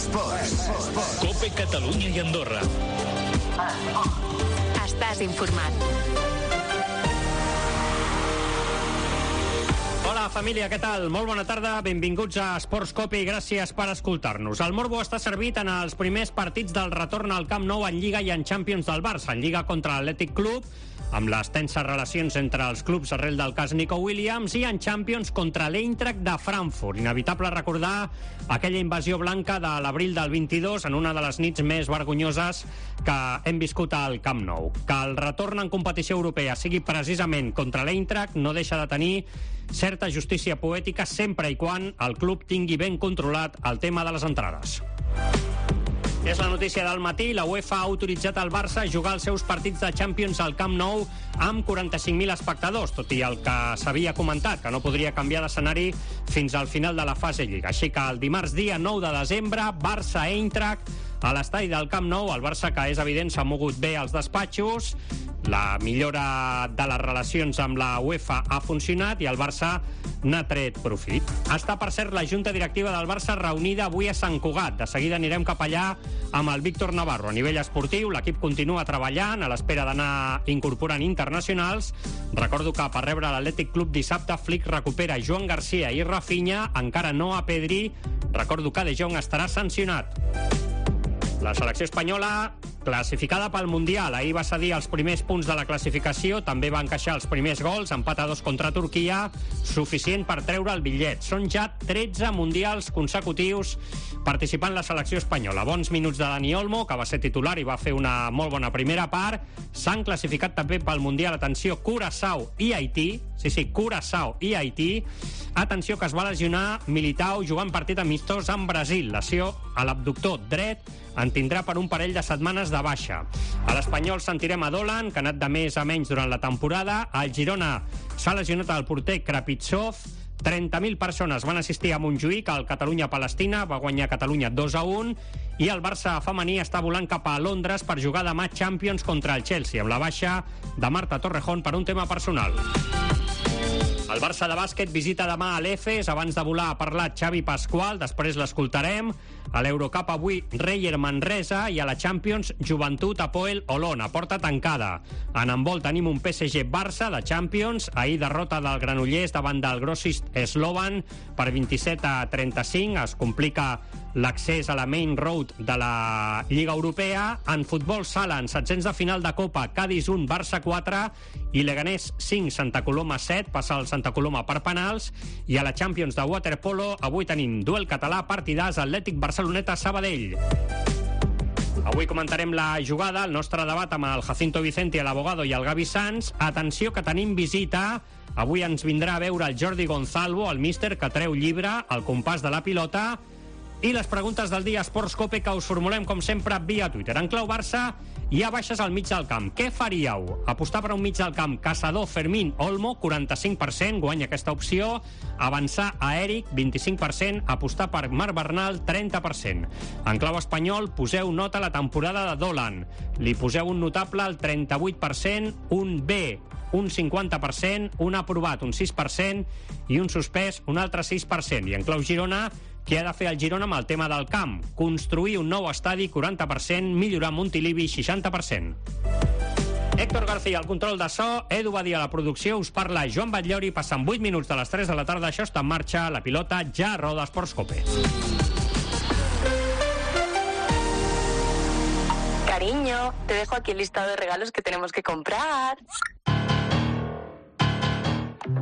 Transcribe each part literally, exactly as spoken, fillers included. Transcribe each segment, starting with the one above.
Esports. Cope Catalunya i Andorra. Estàs informat. Hola, família, què tal? Molt bona tarda, benvinguts a Esports Cope i gràcies per escoltar-nos. El morbo està servit en els primers partits del retorn al Camp Nou en Lliga i en Champions del Barça. En Lliga contra l'Atlètic Club, amb les tenses relacions entre els clubs arrel del cas Nico Williams, i en Champions contra l'Eintracht de Frankfurt. Inevitable recordar aquella invasió blanca de l'abril del vint-i-dos en una de les nits més vergonyoses que hem viscut al Camp Nou. Que el retorn en competició europea sigui precisament contra l'Eintracht no deixa de tenir certa justícia poètica sempre i quan el club tingui ben controlat el tema de les entrades. És la notícia del matí. La UEFA ha autoritzat al Barça a jugar els seus partits de Champions al Camp Nou amb quaranta-cinc mil espectadors, tot i el que s'havia comentat, que no podria canviar d'escenari fins al final de la fase Lliga. Així que el dimarts dia nou de desembre, Barça-Eintracht a l'estadi del Camp Nou. El Barça, que és evident, s'ha mogut bé als despatxos, la millora de les relacions amb la UEFA ha funcionat i el Barça n'ha tret profit. Està, per cert, la junta directiva del Barça reunida avui a Sant Cugat. De seguida anirem cap allà amb el Víctor Navarro. A nivell esportiu, l'equip continua treballant a l'espera d'anar incorporant internacionals. Recordo que per rebre l'Atlètic Club dissabte, Flick recupera Joan Garcia i Rafinha, encara no a Pedri. Recordo que De Jong estarà sancionat. La selecció espanyola, classificada pel Mundial, ahir va cedir els primers punts de la classificació, també va encaixar els primers gols, empat a dos contra Turquia, suficient per treure el bitllet. Són ja tretze mundials consecutius participant la selecció espanyola. Bons minuts de Dani Olmo, que va ser titular i va fer una molt bona primera part. S'han classificat també pel Mundial, atenció, Curaçao i Haití. Sí, sí, Curaçao i Haití. Atenció, que es va lesionar Militao jugant partit amistós amb Brasil. Lesió a l'abductor dret, en tindrà per un parell de setmanes de baixa. A l'Espanyol sentirem a Dolan, que ha anat de més a menys durant la temporada. Al Girona s'ha lesionat el porter Krapitsov. trenta mil persones van assistir a Montjuïc al Catalunya-Palestina, va guanyar Catalunya dos a un, i el Barça femení està volant cap a Londres per jugar demà Champions contra el Chelsea, amb la baixa de Marta Torrejón per un tema personal. El Barça de bàsquet visita demà a l'Efes. Abans de volar ha parlat Xavi Pasqual, després l'escoltarem. A l'Eurocup avui Reyer Manresa i a la Champions Joventut Hapoel Olona, porta tancada. En handbol tenim un P S G Barça de Champions. Ahir derrota del Granollers davant del Grossis Slovan per vint-i-set a trenta-cinc. Es complica l'accés a la Main Road de la Lliga Europea. En futbol sala, en setzents de final de Copa, Cádiz un, Barça quatre i Leganés cinc, Santa Coloma set, passa el Santa Coloma per penals. I a la Champions de waterpolo avui tenim duel català, partidàs, Atlètic Barceloneta Sabadell. Avui comentarem la jugada, el nostre debat amb el Jacinto Vicente, l'Abogado i el Gavi Sanz. Atenció, que tenim visita. Avui ens vindrà a veure el Jordi Gonzalvo, el míster, que treu llibre al compàs de la pilota. I les preguntes del dia Esports Cope, que us formulem com sempre via Twitter. En clau Barça, hi ha baixes al mig del camp. Què faríeu? Apostar per un mig del camp Caçador, Fermín, Olmo, quaranta-cinc per cent, guanya aquesta opció. Avançar a Eric, vint-i-cinc per cent. Apostar per Marc Bernal, trenta per cent. En clau espanyol, poseu nota a la temporada de Dolan. Li poseu un notable al trenta-vuit per cent, un B, un cinquanta per cent, un aprovat, un sis per cent, i un suspès, un altre sis per cent. I en clau Girona, què ha de fer el Girona amb el tema del camp? Construir un nou estadi, quaranta per cent, millorar Montilivi, seixanta per cent. Héctor García, al control de so, Edu Badia a la producció, us parla Joan Batllori, passen vuit minuts de les tres de la tarda, això està en marxa, la pilota ja roda Esports Cope. Cariño, te dejo aquí el listado de regalos que tenemos que comprar.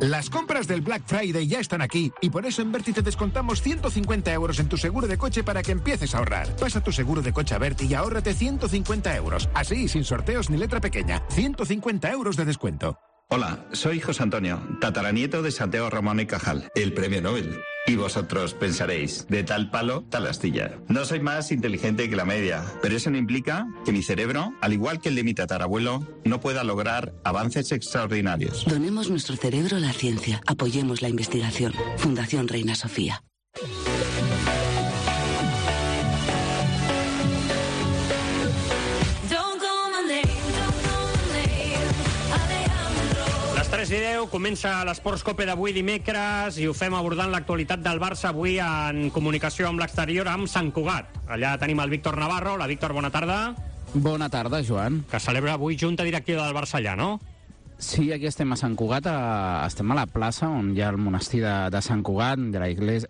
Las compras del Black Friday ya están aquí y por eso en Berti te descontamos ciento cincuenta euros en tu seguro de coche para que empieces a ahorrar. Pasa tu seguro de coche a Berti y ahórrate ciento cincuenta euros. Así, sin sorteos ni letra pequeña. ciento cincuenta euros de descuento. Hola, soy José Antonio, tataranieto de Santiago Ramón y Cajal, el premio Nobel. Y vosotros pensaréis, de tal palo, tal astilla. No soy más inteligente que la media, pero eso no implica que mi cerebro, al igual que el de mi tatarabuelo, no pueda lograr avances extraordinarios. Donemos nuestro cerebro a la ciencia. Apoyemos la investigación. Fundación Reina Sofía. tres i deu, comença l'Esports Cope d'avui dimecres i ho fem abordant l'actualitat del Barça avui en comunicació amb l'exterior amb Sant Cugat. Allà tenim el Víctor Navarro. La Víctor, bona tarda. Bona tarda, Joan. Que celebra avui junta directiva del Barça allà, no? Sí, aquí estem a Sant Cugat, a, estem a la plaça on hi ha el monestir de, de Sant Cugat, de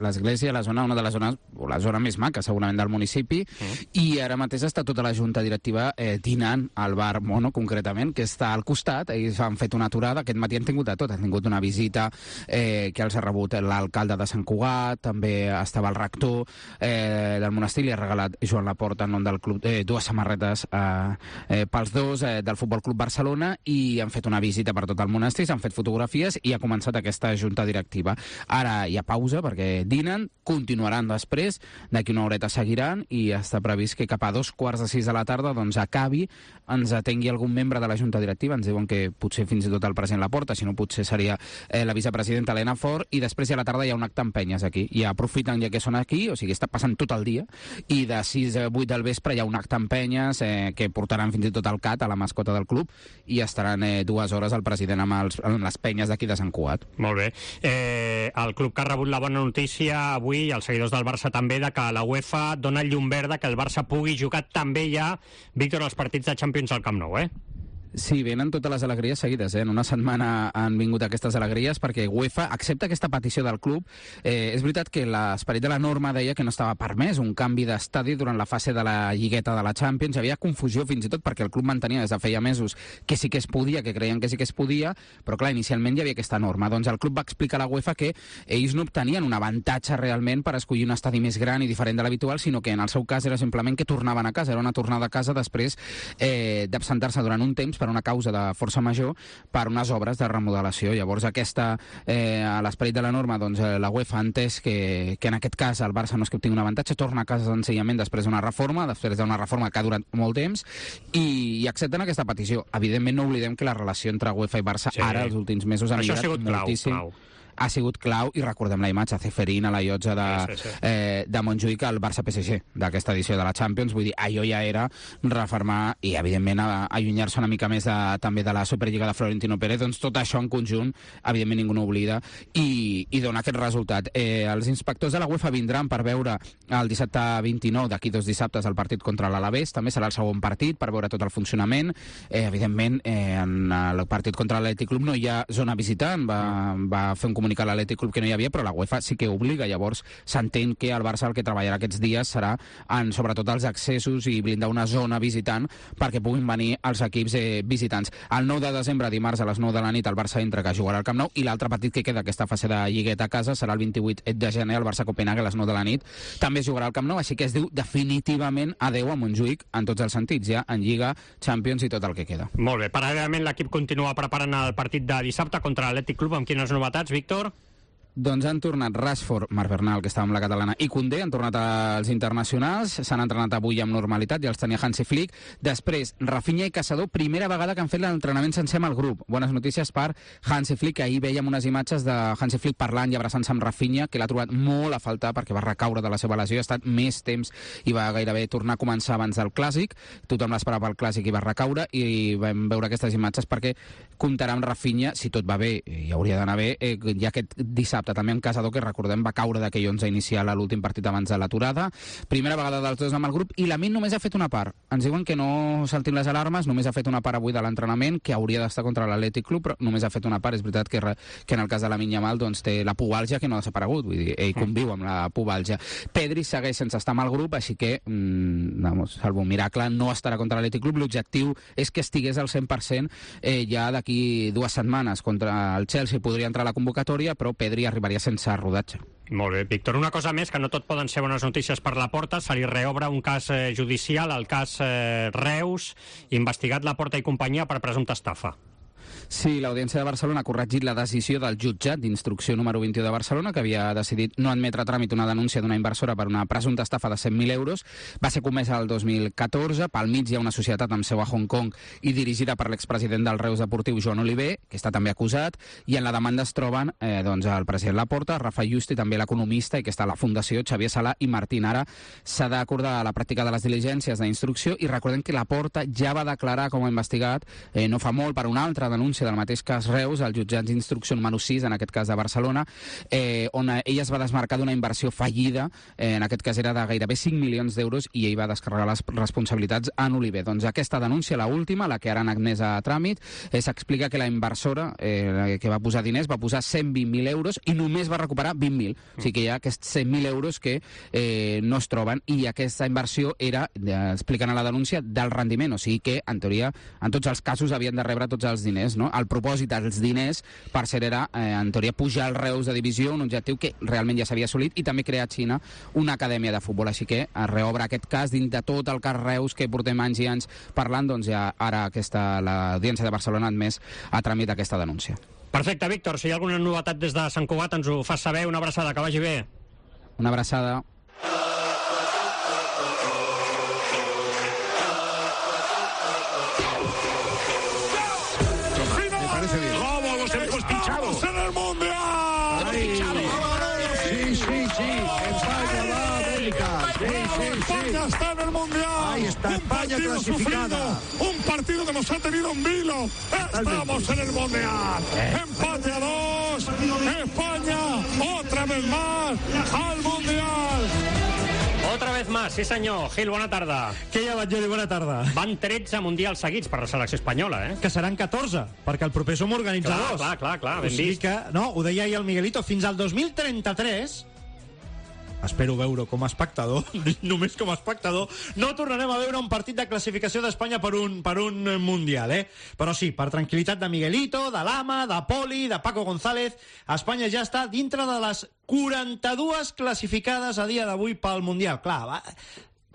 l'església, la zona, una de les zones, o la zona més maca, segurament, del municipi, mm. i ara mateix està tota la junta directiva eh, dinant al bar Mono, concretament, que està al costat. Ells han fet una aturada, aquest matí han tingut de tot, han tingut una visita eh, que els ha rebut l'alcalde de Sant Cugat, també estava el rector eh, del monestir, li ha regalat Joan Laporta en nom del club eh, dues samarretes eh, eh, pels dos eh, del Futbol Club Barcelona, i han fet una visita visita per tot el monestir, s'han fet fotografies i ha començat aquesta junta directiva. Ara hi ha pausa perquè dinen, continuaran després, d'aquí una horeta seguiran i està previst que cap a dos quarts de sis de la tarda doncs acabi, ens atengui algun membre de la junta directiva, ens diuen que potser fins i tot el president Laporta, si no potser seria eh, la vicepresidenta Helena Fort, i després ja a la tarda hi ha un acte amb penyes aquí, i aprofiten ja que són aquí, o sigui, està passant tot el dia, i de sis a vuit del vespre hi ha un acte amb penyes eh, que portaran fins i tot el cat, a la mascota del club, i estaran eh, dues hores el president amb, els, amb les penyes d'aquí de Sant Cugat. Molt bé. Eh, el club que ha rebut la bona notícia avui, i els seguidors del Barça també, de que la UEFA dona llum verda que el Barça pugui jugar també ja, Víctor, els partits de Champions al Camp Nou, eh? Sí, venen totes les alegries seguides, eh? En una setmana han vingut aquestes alegries perquè UEFA accepta aquesta petició del club. Eh, és veritat que l'esperit de la norma deia que no estava permès un canvi d'estadi durant la fase de la lligueta de la Champions. Hi havia confusió fins i tot perquè el club mantenia des de feia mesos que sí que es podia, que creien que sí que es podia, però clar, inicialment hi havia aquesta norma. Doncs el club va explicar a la UEFA que ells no obtenien un avantatge realment per escollir un estadi més gran i diferent de l'habitual, sinó que en el seu cas era simplement que tornaven a casa, era una tornada a casa després eh, d'absentar-se durant un temps per una causa de força major per unes obres de remodelació. Llavors aquesta, eh, a l'esperit de la norma, doncs la UEFA ha entès que, que en aquest cas el Barça no és que obtingui un avantatge, torna a casa senzillament després d'una reforma, després d'una reforma que ha durat molt temps, i, i accepten aquesta petició. Evidentment no oblidem que la relació entre UEFA i Barça sí. ara, els últims mesos, ha millorat moltíssim. Clau, clau. Ha sigut clau, i recordem la imatge, Ceferín a la llotja de, sí, sí, sí. Eh, de Montjuïc al Barça-P S G d'aquesta edició de la Champions. Vull dir, allò ja era refermar i, evidentment, allunyar-se una mica més de, també de la Superliga de Florentino Pérez. Doncs tot això en conjunt, evidentment, ningú no oblida, i, i dona aquest resultat. Eh, els inspectors de la UEFA vindran per veure el dissabte vint-i-nou, d'aquí dos dissabtes, el partit contra l'Alavés. També serà el segon partit per veure tot el funcionament. Eh, evidentment, eh, en el partit contra l'Atlètic Club no hi ha zona visitant. Va, va fer un comunicar l'Atlètic Club que no hi havia, però la UEFA sí que obliga. Llavors s'entén que el Barça el que treballarà aquests dies serà en sobretot els accessos i blindar una zona visitant perquè puguin venir els equips eh, visitants. El nou de desembre, dimarts a les nou de la nit, el Barça entra, que jugarà al Camp Nou, i l'altre partit que queda aquesta fase de lligueta a casa serà el vint-i-vuit de gener, el Barça-Copenhague a les nou de la nit. També jugarà al Camp Nou, així que es diu definitivament adeu a Montjuïc en tots els sentits, ja en Lliga, Champions i tot el que queda. Molt bé. Paral·lelament l'equip continua preparant el partit de dissabte contra l'Atlètic Club. Amb quines novetats, Víctor? Doncs han tornat Rashford, Marc Bernal, que estava amb la catalana, i Koundé, han tornat als internacionals, s'han entrenat avui amb normalitat, ja els tenia Hansi Flick. Després, Rafinha i Caçador, primera vegada que han fet l'entrenament sencer amb el grup. Bones notícies per Hansi Flick, ahir vèiem unes imatges de Hansi Flick parlant i abraçant-se amb Rafinha, que l'ha trobat molt a faltar perquè va recaure de la seva lesió, ha estat més temps i va gairebé tornar a començar abans del Clàssic. Tothom l'esperava al Clàssic i va recaure, i vam veure aquestes imatges perquè comptarà amb Rafinha, si tot va bé, i hauria d'anar bé, eh, ja aquest dissabte també amb Caçador, que recordem va caure d'aquell onze inicial a l'últim partit abans de l'aturada. Primera vegada dels dos amb el grup, i Lamine només ha fet una part. Ens diuen que no saltin les alarmes, només ha fet una part avui de l'entrenament, que hauria d'estar contra l'Atlètic Club, però només ha fet una part. És veritat que, que en el cas de Lamine Yamal doncs, té la pubalgia que no ha desaparegut, vull dir, ell conviu amb la pubalgia. Pedri segueix sense estar amb el grup, així que, mmm, vamos, salvo un miracle, no estarà contra l'Atlètic Club. L'objectiu és que estigués al cent per cent eh, ja d'aquí dues setmanes. Contra el Chelsea podria entrar a la convocatòria, però Pedri arribaria sense rodatge. Molt bé, Víctor. Una cosa més, que no tot poden ser bones notícies per la Porta. Se li reobre un cas eh, judicial, el cas eh, Reus, investigat la Porta i companyia per presumpta estafa. Sí, l'Audiència de Barcelona ha corregit la decisió del jutjat d'instrucció número vint-i-u de Barcelona, que havia decidit no admetre a tràmit una denúncia d'una inversora per una presumpta estafa de cent mil euros. Va ser comesa el dos mil catorze. Pel mig hi ha una societat amb seu a Hong Kong i dirigida per l'expresident del Reus Deportiu, Joan Oliver, que està també acusat, i en la demanda es troben eh, doncs, el president Laporta, Rafa Just, i també l'economista, i que està a la Fundació, Xavier Sala i Martín. Ara s'ha d'acordar la pràctica de les diligències d'instrucció, i recordem que Laporta ja va declarar com a investigat eh, no fa molt per una altra denúncia denúncia del mateix cas Reus al jutjat d'instrucció número sis, en aquest cas de Barcelona, eh, on ell es va desmarcar d'una inversió fallida, eh, en aquest cas era de gairebé cinc milions d'euros, i ell va descarregar les responsabilitats en Oliver. Doncs aquesta denúncia, la última, la que ara han admès a tràmit, eh, s'explica que la inversora eh, que va posar diners va posar cent vint mil euros i només va recuperar vint mil. O sigui que hi ha aquests cent mil euros que eh, no es troben, i aquesta inversió era, eh, expliquen a la denúncia, del rendiment. O sigui que, en teoria, en tots els casos havien de rebre tots els diners, no? El propòsit dels diners, per ser, era, eh, en teoria, pujar el Reus de divisió, un objectiu que realment ja s'havia assolit, i també crear a Xina una acadèmia de futbol. Així que es reobre aquest cas dins de tot el cas Reus que portem anys i anys parlant, doncs ja ara aquesta, l'Audiència de Barcelona ha admès a tràmit aquesta denúncia. Perfecte, Víctor. Si hi ha alguna novetat des de Sant Cugat, ens ho fas saber. Una abraçada, que vagi bé. Una abraçada. Me parece bien. ¡Vamos, los hemos pinchado! ¡En el Mundial! Sí, sí, sí. España va a América. Sí, sí, sí. España está en el Mundial. Ahí está, un España partido clasificada. Sufrido, un partido que nos ha tenido en vilo. Estamos en el Mundial. Empate a dos. España, otra vez más, al Mundial. Otra vez más, sí senyor. Gil, bona tarda. Què hi ha, Batllori? Bona tarda. Van tretze mundials seguits per la selecció espanyola, eh? Que seran catorze, perquè el proper som organitzadors. Clar, clar, clar, clar, ben o sigui vist. que, no, ho deia ahir el Miguelito, fins al dos mil trenta-tres, espero veure com a espectador, només com a espectador, no tornarem a veure un partit de classificació d'Espanya per un, per un Mundial, eh? Però sí, per tranquil·litat de Miguelito, de Lama, de Poli, de Paco González, Espanya ja està dintre de les quaranta-dues classificades a dia d'avui pel Mundial. Clar, va,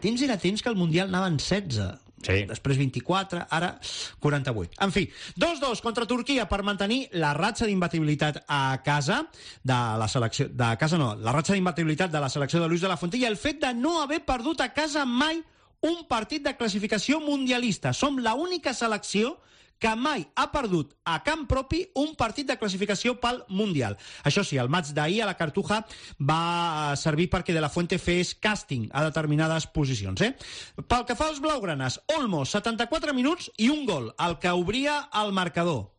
temps era temps que el Mundial anaven setze. Sí. Després vint-i-quatre, ara quaranta-vuit. En fi, dos dos contra Turquia per mantenir la ratxa d'imbatibilitat a casa de la selecció... De casa no, la ratxa d'imbatibilitat de la selecció de Luis de la Fuente, i el fet de no haver perdut a casa mai un partit de classificació mundialista. Som l'única selecció que mai ha perdut a camp propi un partit de classificació pel Mundial. Això sí, el maig d'ahir a la Cartuja va servir perquè De la Fuente fes càsting a determinades posicions. Eh? Pel que fa als blaugranes, Olmo, setanta-quatre minuts i un gol, el que obria el marcador.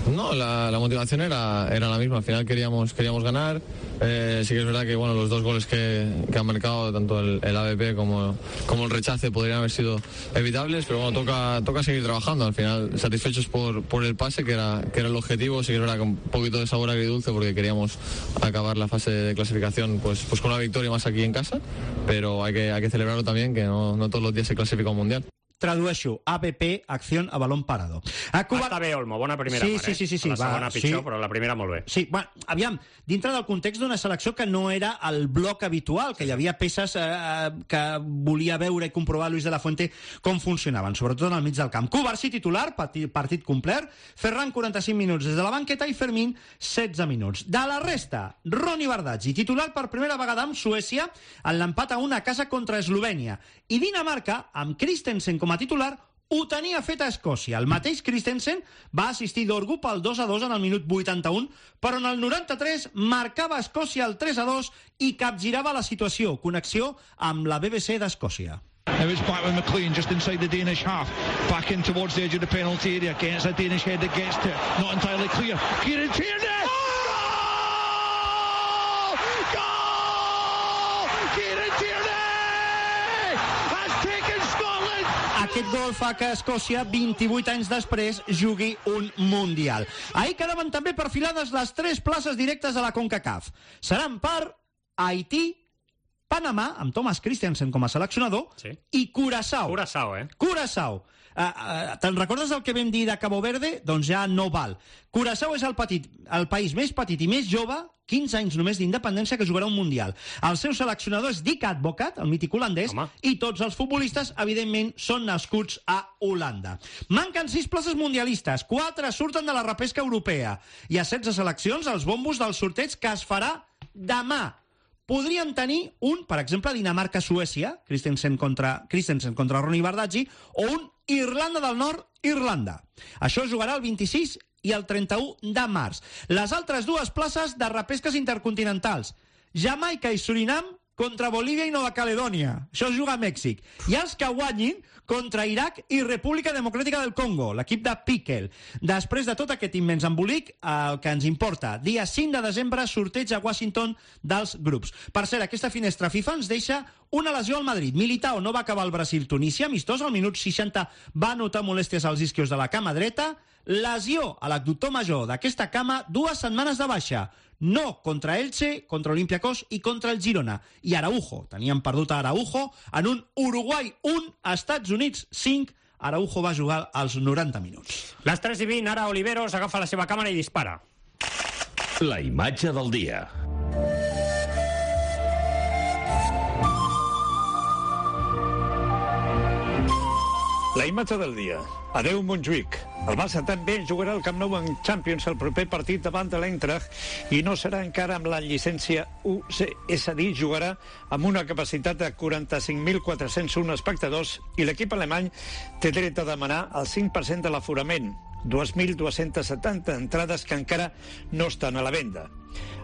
No, la, la motivación era, era la misma. Al final queríamos, queríamos ganar. Eh, sí que es verdad que bueno, los dos goles que, que han marcado, tanto el, el A B P como, como el rechace, podrían haber sido evitables, pero bueno, toca, toca seguir trabajando. Al final, satisfechos por, por el pase, que era, que era el objetivo. Sí que es verdad que un poquito de sabor agridulce, porque queríamos acabar la fase de clasificación pues, pues con una victoria más aquí en casa, pero hay que, hay que celebrarlo también, que no, no todos los días se clasifica un mundial. Tradueixo, A B P, acció a balón parado. A Cuba... Està bé, Olmo, bona primera sí, part, sí, eh? sí, sí, sí, la segona va, pitjor, sí. Però la primera molt bé. Sí, bueno, aviam, dintre del context d'una selecció que no era el bloc habitual, que hi havia peces eh, que volia veure i comprovar Luis de la Fuente com funcionaven, sobretot en el mig del camp. Cubarsí titular, partit, partit complet, Ferran quaranta-cinc minuts des de la banqueta i Fermín setze minuts. De la resta, Ronny Bardghji, titular per primera vegada amb Suècia en l'empat a una a casa contra Eslovènia, i Dinamarca, amb Christensen com a titular, ho tenia fet a Escòcia. El mateix Christensen va assistir d'Orgu pel dos a dos en el minut vuitanta-un, però en el noranta-tres marcava Escòcia el tres a dos i capgirava la situació. Connexió amb la B B C d'Escòcia. Now it's back with McLean just inside the Danish half. Back in towards the edge of the penalty area. Against a Danish head that gets to it. Not entirely clear. Kieran Tierney! Goal! Goal! Kieran Tierney has taken Scotland! Aquest gol fa que Escòcia, vint-i-vuit anys després, jugui un Mundial. Ahir quedaven també perfilades les tres places directes a la CONCACAF. Seran per Haití, Panamà, amb Thomas Christensen com a seleccionador, sí. i Curaçao. Curaçao, eh? Curaçao. Uh, uh, te'n recordes el que vam dir de Cabo Verde? Doncs ja no val. Curaçao és el, petit, el país més petit i més jove, quinze anys només d'independència, que jugarà un Mundial. El seu seleccionador és Dick Advocat, el mític holandès, Home. i tots els futbolistes, evidentment, són nascuts a Holanda. Manquen sis places mundialistes, quatre surten de la repesca europea, i a setze seleccions els bombos del sorteig que es farà demà. Podrien tenir un, per exemple, Dinamarca-Suècia, Christensen contra, Christensen contra Ronny Bardghji, o un Irlanda del Nord-Irlanda. Això jugarà el vint-i-sis i el trenta-u de març. Les altres dues places de repesques intercontinentals, Jamaica i Surinam, contra Bolívia i Nova Caledònia. Això es juga a Mèxic. I els que guanyin contra Iraq i República Democràtica del Congo, l'equip de Piquel. Després de tot aquest immens embolic, el que ens importa, dia cinc de desembre, sorteig a Washington dels grups. Per cert, aquesta finestra FIFA ens deixa una lesió al Madrid. Militao no va acabar el Brasil-Tunísia, amistós, al minut seixanta va notar molèsties als isquios de la cama dreta. Lesió a l'abductor major d'aquesta cama, dues setmanes de baixa. No contra Elche, contra Olympiacos i contra el Girona. I Araujo, teníem perdut a Araujo en un Uruguai un, Estats Units cinc. Araujo va jugar als noranta minuts. Les tres i vint, ara Oliveros agafa la seva càmera i dispara. La imatge del dia. La imatge del dia. Adeu Montjuïc. El Barça també jugarà al Camp Nou en Champions el proper partit davant de l'Eintracht i no serà encara amb la llicència U C, és a dir, jugarà amb una capacitat de quaranta-cinc mil quatre-cents un espectadors i l'equip alemany té dret a demanar el cinc per cent de l'aforament, dos mil dos-cents setanta entrades que encara no estan a la venda.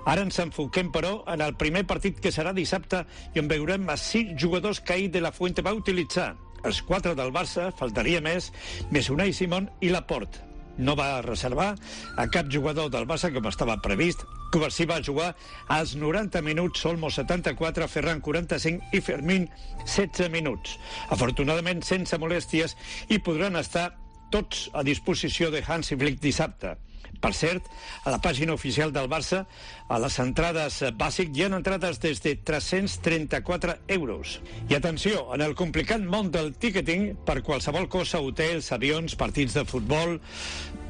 Ara ens enfoquem, però, en el primer partit que serà dissabte i on veurem a sis jugadors que ahir de la Fuente va utilitzar. Els quatre del Barça, faltaria més, més Unai Simón i Laporte. No va reservar a cap jugador del Barça com estava previst. Covarsí va jugar als noranta minuts, Olmo setanta-quatre, Ferran quaranta-cinc i Fermín setze minuts. Afortunadament sense molèsties i podran estar tots a disposició de Hansi Flick dissabte. Per cert, a la pàgina oficial del Barça, a les entrades bàsic hi ha entrades des de tres-cents trenta-quatre euros. I atenció, en el complicat món del ticketing, per qualsevol cosa, hotels, avions, partits de futbol,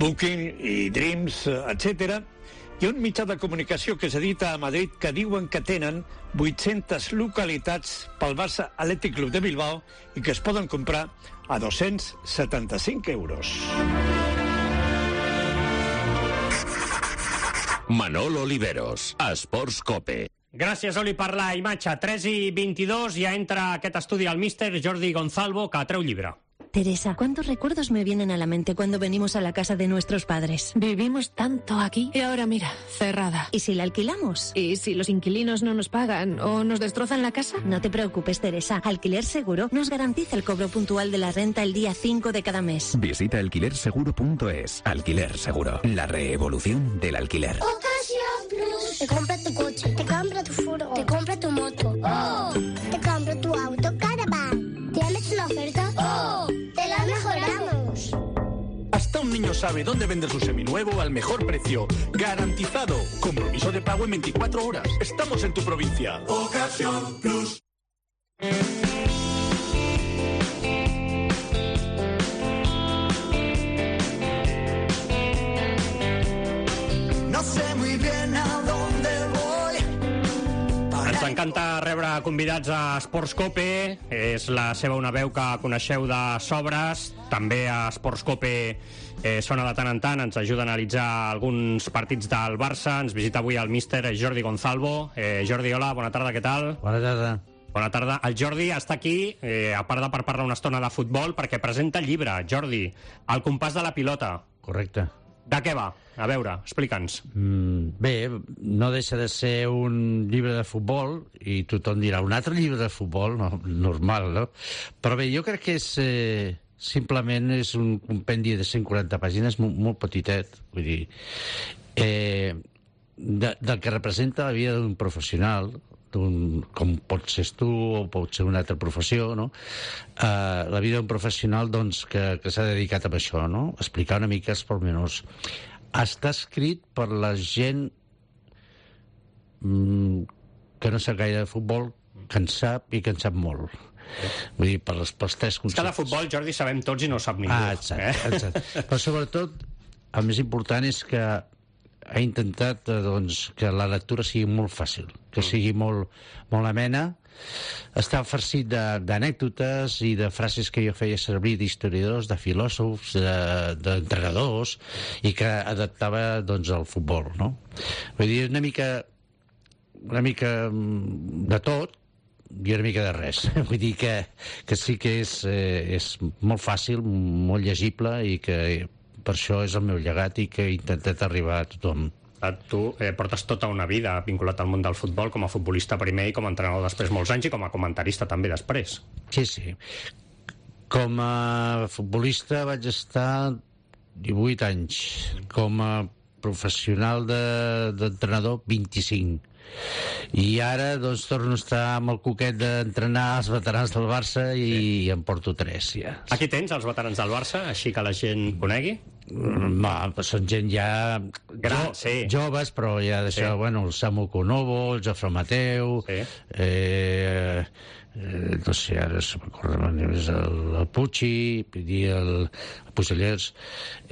Booking i Dreams, etcètera, hi ha un mitjà de comunicació que s'edita a Madrid que diuen que tenen vuit-centes localitats pel Barça Athletic Club de Bilbao i que es poden comprar a dos-cents setanta-cinc euros. Manolo Oliveros, Esports Cope. Gràcies, Oli, per la imatge. tres i vint-i-dos, ja entra a aquest estudi el míster Jordi Gonzalvo, que treu llibre. Teresa, ¿cuántos recuerdos me vienen a la mente cuando venimos a la casa de nuestros padres? Vivimos tanto aquí y ahora mira, cerrada. ¿Y si la alquilamos? ¿Y si los inquilinos no nos pagan o nos destrozan la casa? No te preocupes, Teresa. Alquiler Seguro nos garantiza el cobro puntual de la renta el día cinco de cada mes. Visita alquiler seguro punto es. Alquiler Seguro, la revolución del alquiler. Ocasión Plus. Te compra tu coche, te compra tu furgo, te compra tu moto. ¡Oh! Te compra tu auto Caravan. ¿Tienes una oferta? ¡Oh! ¡Te la mejoramos! Hasta un niño sabe dónde vender su seminuevo al mejor precio. ¡Garantizado! Compromiso de pago en veinticuatro horas. Estamos en tu provincia. Ocasión Plus. No sé muy bien a dónde voy. Ens encanta rebre convidats a Esports Cope. És la seva una veu que coneixeu de sobres. També a Esports Cope eh, sona de tant en tant. Ens ajuda a analitzar alguns partits del Barça. Ens visita avui el míster Jordi Gonzalvo. Eh, Jordi, hola, bona tarda, què tal? Bona tarda. Bona tarda. El Jordi està aquí, eh, a part de per parlar una estona de futbol, perquè presenta el llibre. Jordi, El compàs de la pilota. Correcte. De què va? A veure, explica'ns. Mm, bé, no deixa de ser un llibre de futbol, i tothom dirà, un altre llibre de futbol, no, normal, no? Però bé, jo crec que és... Eh, simplement és un compendi de cent quaranta pàgines molt, molt petitet, vull dir... Eh, de, del que representa la vida d'un professional, d'un, com pot ser tu o pot ser una altra professió, no? Uh, la vida d'un professional doncs, que, que s'ha dedicat a això, no? Explicar una mica els pormenors. Està escrit per la gent mm, que no sap gaire de futbol, que en sap i que en sap molt. Vull dir, per les, pels tres conceptes. És que de futbol, Jordi, sabem tots i no sap ningú. Ah, exacte, eh? exacte. Però sobretot, el més important és que ha intentat eh, doncs, que la lectura sigui molt fàcil, que sigui molt, molt amena. Està farcit d'anècdotes i de frases que jo feia servir d'historiadors, de filòsofs, d'entrenadors, de, i que adaptava doncs, al futbol, no? Vull dir, una mica, una mica de tot i una mica de res. Vull dir que, que sí que és, eh, és molt fàcil, molt llegible, i que per això és el meu llegat i que he intentat arribar a tothom. Tu eh, portes tota una vida vinculat al món del futbol, com a futbolista primer i com a entrenador després molts anys i com a comentarista també després. Sí, sí. Com a futbolista vaig estar divuit anys. Com a professional d'entrenador, de, vint-i-cinc. I ara doncs torno a estar amb el coquet d'entrenar els veterans del Barça i, sí. i em porto tres ja. Aquí tens els veterans del Barça, així que la gent conegui? No, són gent ja gran, jo, sí. joves, però ja d'això, sí. bueno, el Samu Konovo, el Jofre Mateu, sí. eh, eh, no sé, ara se m'acorda més el, el Pucci, el, el Puigellers,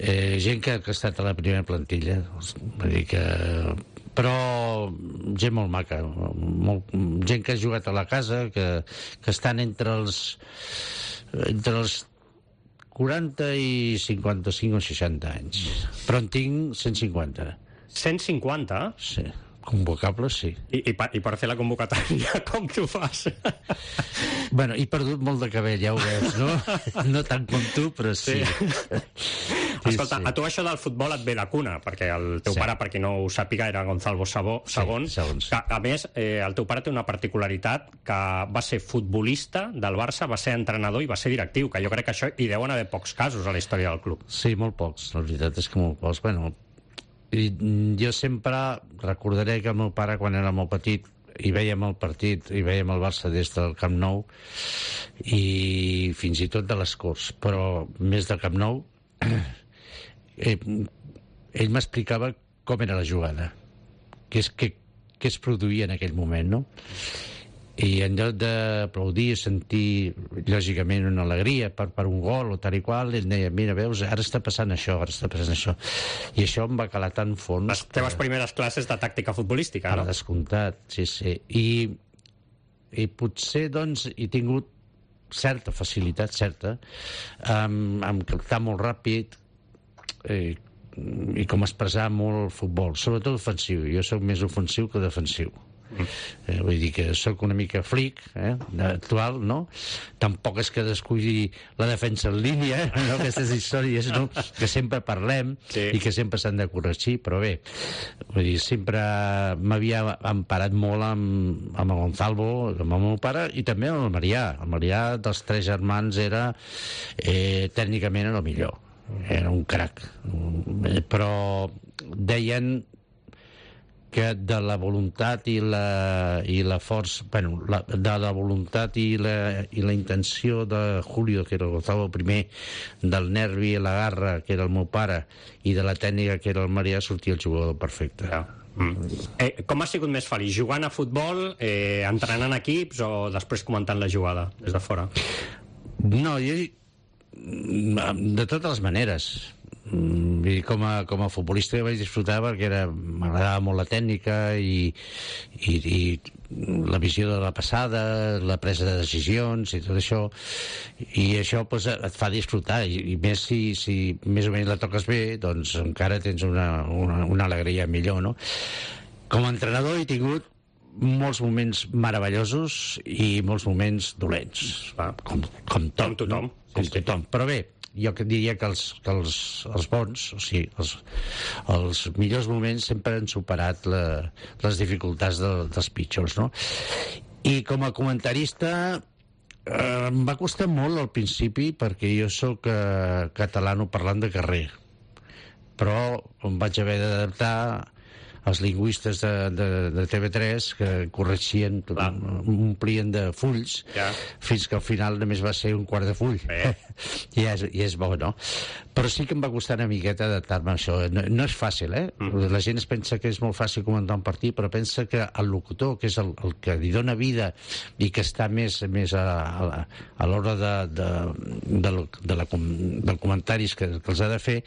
eh, gent que, que ha estat a la primera plantilla, vull dir que... però gent molt maca, molt, gent que ha jugat a la casa, que, que estan entre els entre els quaranta i cinquanta-cinc o seixanta anys, però en tinc cent cinquanta. cent cinquanta? Sí. Convocables, sí. I, i, per, I per fer la convocatòria, com t'ho fas? Bueno, he perdut molt de cabell, ja ho veus, no? No tant com tu, però sí. sí. Escolta, sí. A tu això del futbol et ve de cuna, perquè el teu sí. pare, per qui no ho sàpiga, era Gonzalo Sabó, segon. Sí, que, a més, eh, el teu pare té una particularitat, que va ser futbolista del Barça, va ser entrenador i va ser directiu, que jo crec que això hi deuen haver pocs casos a la història del club. Sí, molt pocs, la veritat és que molt pocs. Bueno, i jo sempre recordaré que el meu pare, quan era molt petit, i vèiem el partit, i vèiem el Barça des del Camp Nou, i fins i tot de les Corts, però més del Camp Nou, eh, ell m'explicava com era la jugada, què es, què, què es produïa en aquell moment, no? I en lloc d'aplaudir i sentir lògicament una alegria per, per un gol o tal i qual, ell deia, mira, veus, ara està passant això, ara està passant això, i això em va calar tan fons. Les teves que... primeres classes de tàctica futbolística, no? Per descomptat, sí, sí. I, i potser, doncs, he tingut certa facilitat, certa, amb, amb captar molt ràpid eh, i com expressar molt el futbol, sobretot ofensiu. Jo soc més ofensiu que defensiu. Eh, vull dir que sóc una mica flic, eh, actual, no? Tampoc és que descuidi la defensa en línia, eh, no? Aquestes històries, no? Que sempre parlem sí. i que sempre s'han de corregir, però bé, vull dir, sempre m'havia emparat molt amb, amb el Gonzalo, amb el meu pare, i també amb el Marià. El Marià dels tres germans era, eh, tècnicament era el millor, era un crac, però deien que de la voluntat i la, i la força, bueno, la, de la voluntat i la, i la intenció de Julio, que era el Gonzalo primer, del nervi i la garra, que era el meu pare, i de la tècnica, que era el Marià, sortia el jugador perfecte. Ja. Mm. Eh, com has sigut més feliç? Jugant a futbol, eh, entrenant equips o després comentant la jugada des de fora? No, jo... de totes les maneres. I com a, com a futbolista vaig disfrutar perquè era, m'agradava molt la tècnica i, i, i la visió de la passada, la presa de decisions i tot això, i això pues, et fa disfrutar, i, i més si, si més o menys la toques bé, doncs encara tens una, una, una alegria millor, no? Com a entrenador he tingut molts moments meravellosos i molts moments dolents, com, com tot, com tothom, no? Com sí, tothom, però bé, jo diria que els, que els, els bons, o sigui, els, els millors moments sempre han superat la, les dificultats de, dels pitjors, no? I com a comentarista eh, em va costar molt al principi perquè jo sóc eh, catalano parlant de carrer, però em vaig haver d'adaptar els lingüistes de, de, de T V tres que corregien, que omplien de fulls, ja. Fins que al final només va ser un quart de full. I, és, I és bo, no? Però sí que em va costar una miqueta adaptar-me a això. No, no és fàcil, eh? Mm. La gent es pensa que és molt fàcil comentar un partit, però pensa que el locutor, que és el, el que li dona vida i que està més, més a, a, a l'hora de, de, de, de la, del comentaris que, que els ha de fer,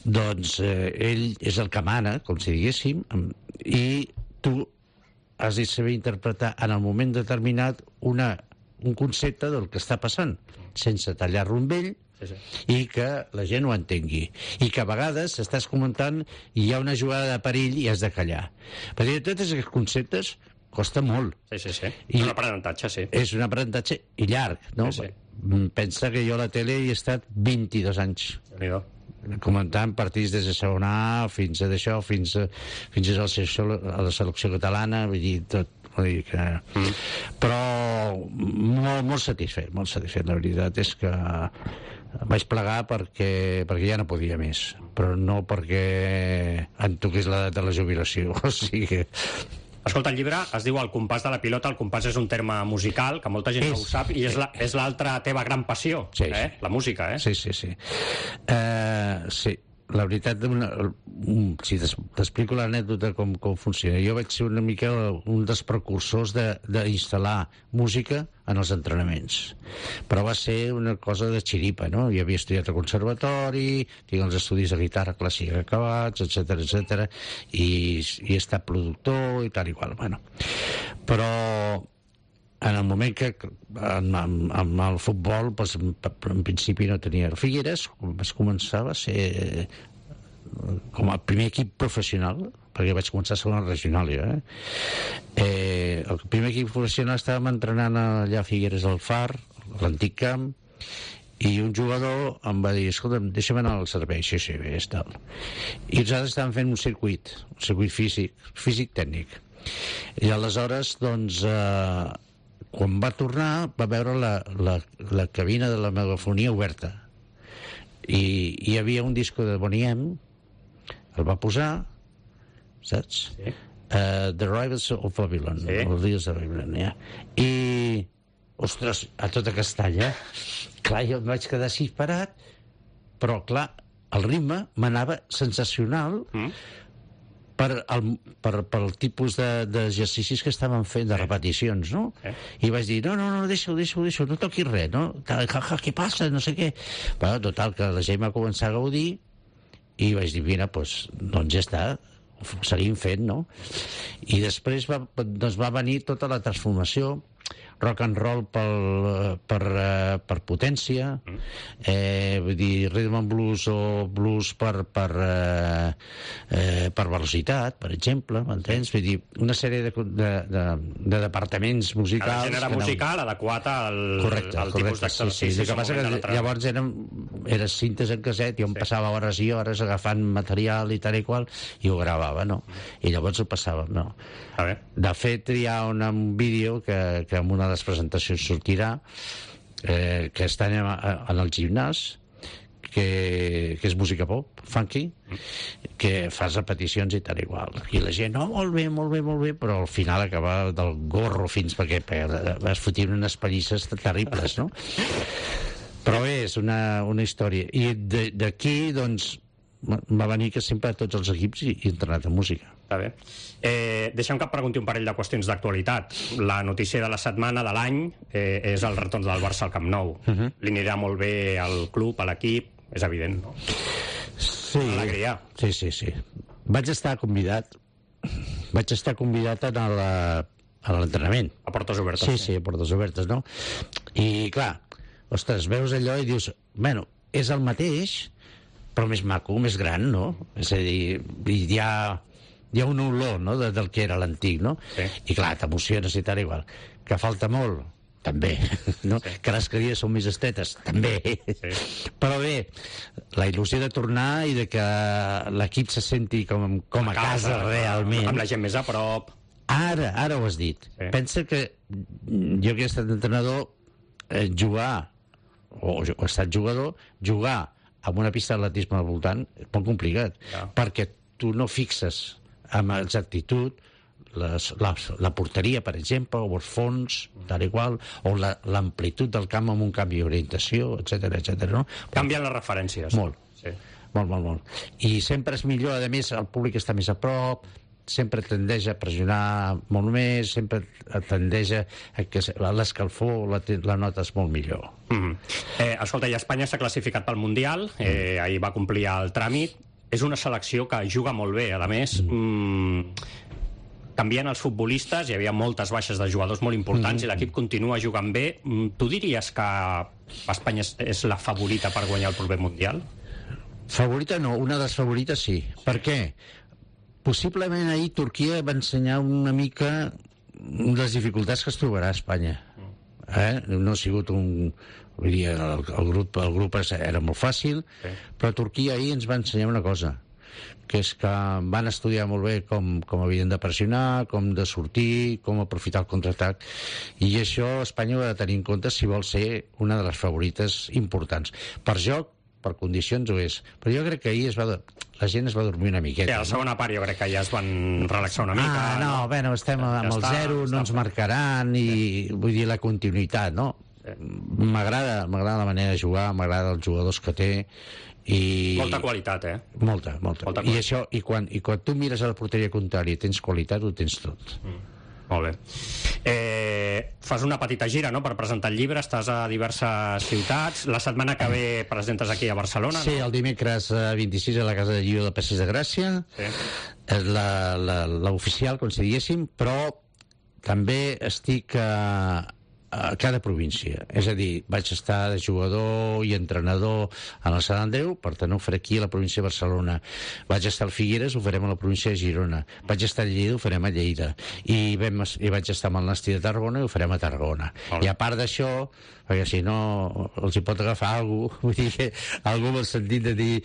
doncs eh, ell és el que mana, com si diguéssim, i tu has de saber interpretar en el moment determinat una, un concepte del que està passant, sense tallar-lo amb ell, sí, sí. I que la gent ho entengui. I que a vegades estàs comentant i hi ha una jugada de perill i has de callar. Perquè tots aquests conceptes costa molt. Sí, sí, sí. I un aprenentatge, sí. És un aprenentatge i llarg, no? Sí, sí. Pensa que jo a la tele hi he estat vint-i-dos anys. comentant partits des de segona A fins a d'això, fins a, fins a la selecció, a la selecció catalana, vull dir, tot. Vull dir que... Mm. Però molt, molt satisfet, molt satisfet. La veritat és que vaig plegar perquè, perquè ja no podia més, però no perquè em toqués l'edat de la jubilació. O sigui... Escolta, el llibre es diu El compàs de la pilota. El compàs és un terme musical que molta gent és, no ho sap i és la, és l'altra teva gran passió, sí, eh? La música, eh? Sí, sí, sí. Uh, sí. La veritat, una, un, si t'explico l'anècdota com, com funciona. Jo vaig ser una mica un dels precursors d'instal·lar música en els entrenaments. Però va ser una cosa de xiripa, no? Jo havia estudiat al conservatori, tinc els estudis de guitarra clàssica acabats, etcètera, etcètera, i, i he estat productor i tal i qual. Bueno, però en el moment que amb, amb, amb el futbol doncs, en principi no tenia el Figueres, vaig començar a ser com el primer equip professional, perquè vaig començar a ser una regional jo, eh? Eh, el primer equip professional estàvem entrenant allà a Figueres del Far, l'antic camp, i un jugador em va dir, escolta'm, deixa'm anar al servei. Sí, sí, bé, és tal. I nosaltres estàvem fent un circuit, un circuit físic, físic-tècnic. I aleshores, doncs, eh, quan va tornar va veure la, la, la cabina de la megafonia oberta i hi havia un disco de Boney M, el va posar, saps? Sí. Uh, The Rivals of Babylon, sí. Els dies de Babylon, ja. I, ostres, a tota castanya, clar, jo em vaig quedar així parat, però clar, el ritme m'anava sensacional, mm. Per el, per, per el tipus d'exercicis que estaven fent, de repeticions, no? Eh? I vaig dir, no, no, no, deixa-ho, deixa-ho, deixa-ho, no toquis res, no? Ja, ja, què passa? No sé què. Però, total, que la gent va començar a gaudir i vaig dir, mira, doncs, doncs ja està, ho seguim fent, no? I després va, doncs va venir tota la transformació, rock and roll pel, per, uh, per potència, eh, vull dir, rhythm and blues o blues per, per, uh, eh, per velocitat, per exemple, m'entens? Vull dir, una sèrie de, de, de, de departaments musicals... Cada gènere musical no... adequat al, correcte, al correcte, tipus d'exercici. Sí, sí. El que passa que llavors eren, era cintes en caset, jo em sí. passava hores i hores agafant material i tal i qual, i ho gravava, no? I llavors ho passava, no? A veure. De fet, hi ha un, un vídeo que, que en una de les presentacions sortirà, eh, que està en, en el gimnàs, que, que és música pop, funky, que fas repeticions i tal igual. I la gent, no, oh, molt bé, molt bé, molt bé, però al final acaba del gorro fins perquè, perquè vas fotint unes pallisses terribles, no? Però bé, és una, una història. I d'aquí, doncs, va venir que sempre a tots els equips hi he entrenat en música. Està bé. Eh, deixa'm que et pregunti un parell de qüestions d'actualitat. La notícia de la setmana, de l'any, eh, és el retorn del Barça al Camp Nou. Uh -huh. Li anirà molt bé al club, a l'equip, és evident, no? Sí. Alegria. Sí, sí, sí. Vaig estar convidat, vaig estar convidat a la, a l'entrenament. A portes obertes. Sí, sí, a portes obertes, no? I, clar, ostres, veus allò i dius, bueno, és el mateix, però més maco, més gran, no? És a dir, hi ha, hi ha un olor, no?, de, del que era l'antic, no? Sí. I clar, t'emociones i tal igual. Que falta molt? També. No? Sí. Que les cadires són més estetes? També. Sí. Però bé, la il·lusió de tornar i de que l'equip se senti com, com a, a casa, casa realment. Amb la gent més a prop. Ara, ara ho has dit. Sí. Pensa que jo que he estat entrenador, eh, jugar, o, o he estat jugador, jugar amb una pista d'atletisme al voltant és molt complicat, ja. Perquè tu no fixes amb exactitud les, la, la porteria, per exemple, o els fons, tal i qual, o l'amplitud del camp amb un canvi d'orientació, etcètera, etcètera, no? Canvien les referències. Molt, sí. molt, molt, molt. I sempre és millor, a més, el públic està més a prop, sempre tendeix a pressionar molt més, sempre tendeix a que l'escalfor la, la notes molt millor. Mm-hmm. eh, escolta, i Espanya s'ha classificat pel Mundial, eh, ahir va complir el tràmit, és una selecció que juga molt bé, a més, mm, canvien els futbolistes, hi havia moltes baixes de jugadors molt importants, mm-hmm. i l'equip continua jugant bé. Tu diries que Espanya és, és la favorita per guanyar el proper Mundial? Favorita no, una de les favorites sí. Per què? Possiblement ahir Turquia va ensenyar una mica les dificultats que es trobarà a Espanya. eh? No ha sigut un... Vull dir, el, el, grup, el grup era molt fàcil, sí. Però Turquia ahir ens va ensenyar una cosa, que és que van estudiar molt bé com, com havien de pressionar, com de sortir, com aprofitar el contraatac, i això Espanya ho ha de tenir en compte si vol ser una de les favorites importants. Per joc, per condicions ho és, però jo crec que ahir es va, la gent es va dormir una miqueta. Sí, a la segona part jo crec que ja es van relaxar una mica. Ah, no, no? Bueno, estem ja amb el està, zero, no ens marcaran, i sí. Vull dir, la continuïtat, no? Sí. M'agrada, m'agrada la manera de jugar, m'agrada els jugadors que té, i... Molta qualitat, eh? Molta, molta. molta I, això, i, quan, I quan tu mires a la porteria contrària i tens qualitat, ho tens tot. Mm. Molt bé. Eh, fas una petita gira, no?, per presentar el llibre, estàs a diverses ciutats. La setmana que ve presentes aquí a Barcelona, sí, no? El dimecres vint-i-sis a la Casa de Llió de Passeig de Gràcia. Sí. És l'oficial, com si diguéssim, però també estic a, a cada província. És a dir, vaig estar de jugador i entrenador en el Sant Andreu, per tant ho faré aquí a la província de Barcelona. Vaig estar al Figueres, ho farem a la província de Girona. Vaig estar a Lleida, ho farem a Lleida. I, vam, i vaig estar amb el Nasti de Tarragona i ho farem a Tarragona. I a part d'això, perquè si no els hi pot agafar alguna cosa, vull dir que algú en el sentit de dir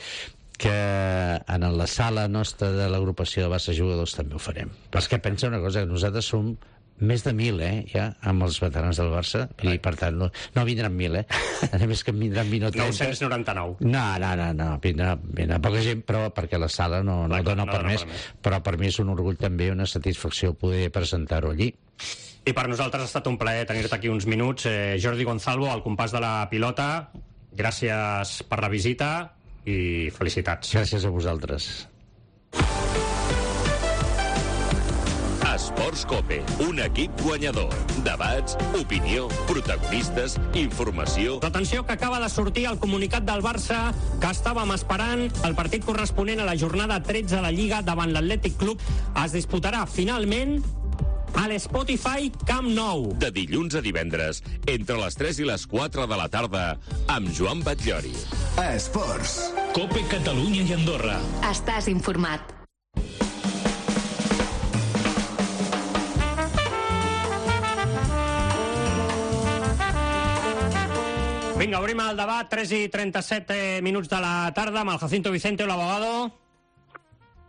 que en la sala nostra de l'agrupació de Barça Jugadors també ho farem. Però és que pensa una cosa, que nosaltres som més de mil, eh, ja, amb els veterans del Barça, i per tant no, no vindran mil, eh? A més que en vindran vint o trenta. nou-cents noranta-nou. No, no, no, no, vindrà, vindrà poca gent, però perquè la sala no, no, no dona no per més, per més, però per mi és un orgull també, una satisfacció poder presentar-ho allí. I per nosaltres ha estat un plaer tenir-te aquí uns minuts. Eh, Jordi Gonzalvo, al compàs de la pilota, gràcies per la visita i felicitats. Gràcies a vosaltres. Esports Cope, un equip guanyador. Debats, opinió, protagonistes, informació... Atenció, que acaba de sortir el comunicat del Barça que estàvem esperant. El partit corresponent a la jornada tretze de la Lliga davant l'Atlètic Club es disputarà finalment a l'Spotify Camp Nou. De dilluns a divendres, entre les tres i les quatre de la tarda, amb Joan Batllori. Esports. Cope Catalunya i Andorra. Estàs informat. Vinga, obrim el debat, tres i trenta-set minuts de la tarda, amb el Jacinto Vicente, el abogado.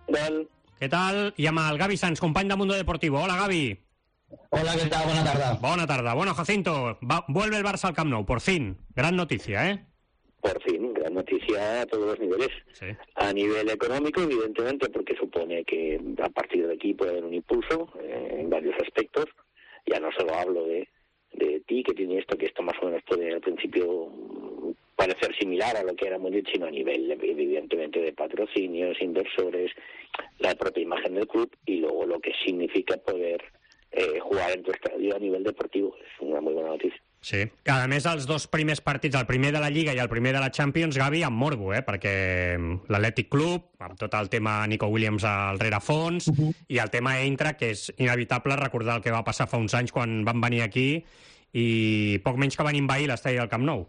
Hola. ¿Qué tal? Y amb el Gaby Sanz, company de Mundo Deportivo. Hola, Gaby. Hola, ¿qué tal? Buena tarde. Buena tarde. Bueno, Jacinto, va, vuelve el Barça al Camp Nou, por fin. Gran noticia, ¿eh? Por fin, gran noticia a todos los niveles. Sí. A nivel económico, evidentemente, porque supone que a partir de aquí puede haber un impulso eh, en varios aspectos. Ya no solo hablo de... de ti, que tiene esto, que esto más o menos puede al principio parecer similar a lo que era Munich, sino a nivel evidentemente de patrocinios, inversores, la propia imagen del club y luego lo que significa poder eh, jugar en tu estadio a nivel deportivo. Es una muy buena noticia. Sí, a més els dos primers partits, el primer de la Lliga i el primer de la Champions, Gavi, amb morbo, eh? Perquè l'Atlètic Club, amb tot el tema Nico Williams al rerefons, uh -huh. i el tema Eintracht, que és inevitable recordar el que va passar fa uns anys quan van venir aquí i poc menys que van envair l'estadi del Camp Nou.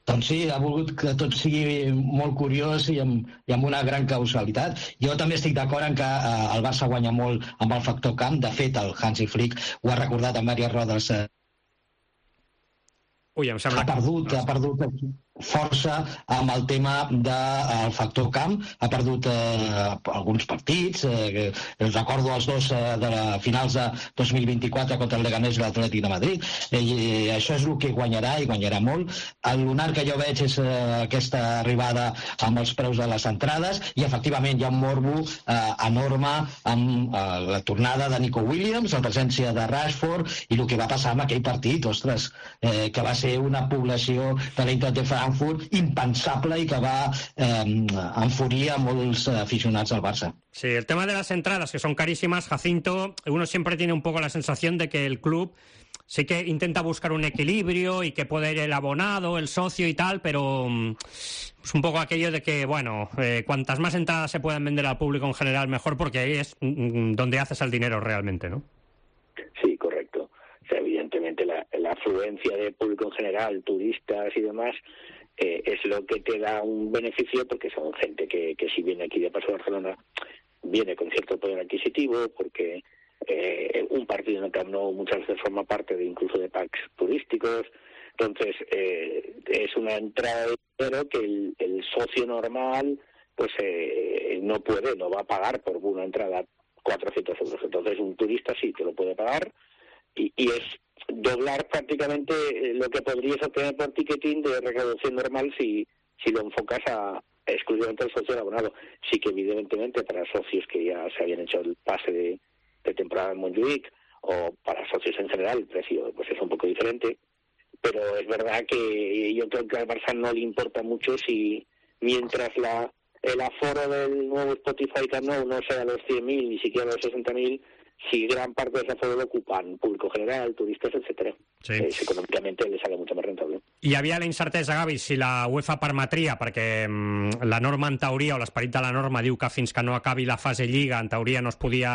Doncs sí, ha volgut que tot sigui molt curiós i amb, i amb una gran causalitat. Jo també estic d'acord en que eh, el Barça guanya molt amb el factor camp. De fet, el Hansi Flick ho ha recordat en diverses rodes. Eh, Ui, em sembla ha perdut, que... ha perdut força amb el tema del de, factor camp, ha perdut eh, alguns partits, eh, recordo els dos eh, de la finals de dos mil vint-i-quatre contra el Leganés i l'Atlètic de Madrid, eh, i això és el que guanyarà, i guanyarà molt. El lunar que jo veig és eh, aquesta arribada amb els preus de les entrades, i efectivament hi ha un morbo eh, enorme amb eh, la tornada de Nico Williams, la presència de Rashford, i el que va passar amb aquell partit, ostres, eh, que va ser una població de l'Eintracht de Frankfurt impensable y que va eh, enfurir a molts aficionados al Barça. Sí, el tema de las entradas, que son carísimas, Jacinto, uno siempre tiene un poco la sensación de que el club sí que intenta buscar un equilibrio y que puede ir el abonado, el socio y tal, pero es un poco aquello de que, bueno, eh, cuantas más entradas se puedan vender al público en general, mejor, porque ahí es donde haces el dinero realmente, ¿no? Sí, correcto. O sea, evidentemente la, la afluencia de público en general, turistas y demás, eh, es lo que te da un beneficio, porque son gente que, que si viene aquí de paso a Barcelona, viene con cierto poder adquisitivo, porque eh, un partido en el Camp Nou muchas veces forma parte de incluso de packs turísticos, turísticos. Entonces, eh, es una entrada de dinero que el, el socio normal pues eh, no puede, no va a pagar por una entrada cuatrocientos euros. Entonces, un turista sí te lo puede pagar y, y es doblar prácticamente lo que podrías obtener por ticketing de recaudación normal si, si lo enfocas a exclusivamente al socio abonado. Sí que evidentemente para socios que ya se habían hecho el pase de, de temporada en Montjuic o para socios en general el precio pues es un poco diferente, pero es verdad que yo creo que al Barça no le importa mucho si mientras la el aforo del nuevo Spotify Camp Nou no sea los cien mil ni siquiera los sesenta mil, si gran parte de ese aforo lo ocupan público general, turistas, etcètera. Sí. Eh, econòmicament li sale mucho más rentable. Hi havia la incertesa, Gavi, si la UEFA permetria, perquè mm, la norma en teoria, o l'esperit de la norma, diu que fins que no acabi la fase Lliga, en teoria no es podia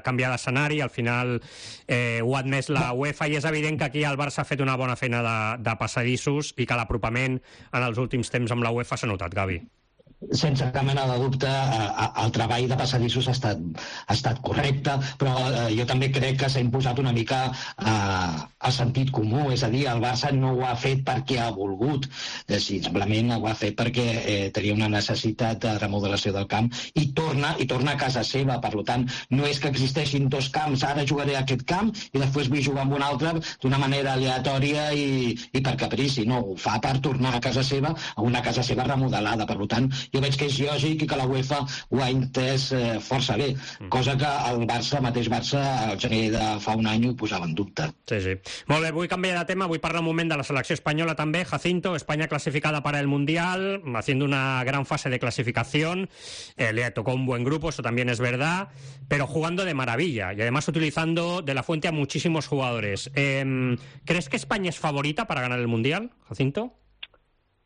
canviar d'escenari, al final eh, ho ha admès la UEFA, i és evident que aquí el Barça ha fet una bona feina de, de passadissos i que l'apropament en els últims temps amb la UEFA s'ha notat, Gavi. Sense cap mena de dubte, el treball de passadissos ha estat, ha estat correcte, però jo també crec que s'ha imposat una mica a sentit comú, és a dir, el Barça no ho ha fet perquè ha volgut, simplement ho ha fet perquè eh, tenia una necessitat de remodelació del camp i torna, i torna a casa seva. Per tant, no és que existeixin dos camps, ara jugaré a aquest camp i després vull jugar amb un altre d'una manera aleatòria i, i per caprici, no, ho fa per tornar a casa seva, a una casa seva remodelada. Per tant, jo veig que és lògic i que la UEFA ho ha entès eh, força bé, cosa que el Barça, el mateix Barça, al gener de fa un any ho posava en dubte. Sí, sí. Molt bé, vull canviar de tema, vull parlar un moment de la selecció espanyola també. Jacinto, España clasificada para el Mundial, haciendo una gran fase de clasificación, eh, le tocó un buen grupo, eso también es verdad, pero jugando de maravilla y además utilizando de la fuente a muchísimos jugadores. Eh, ¿Crees que España es favorita para ganar el Mundial, Jacinto?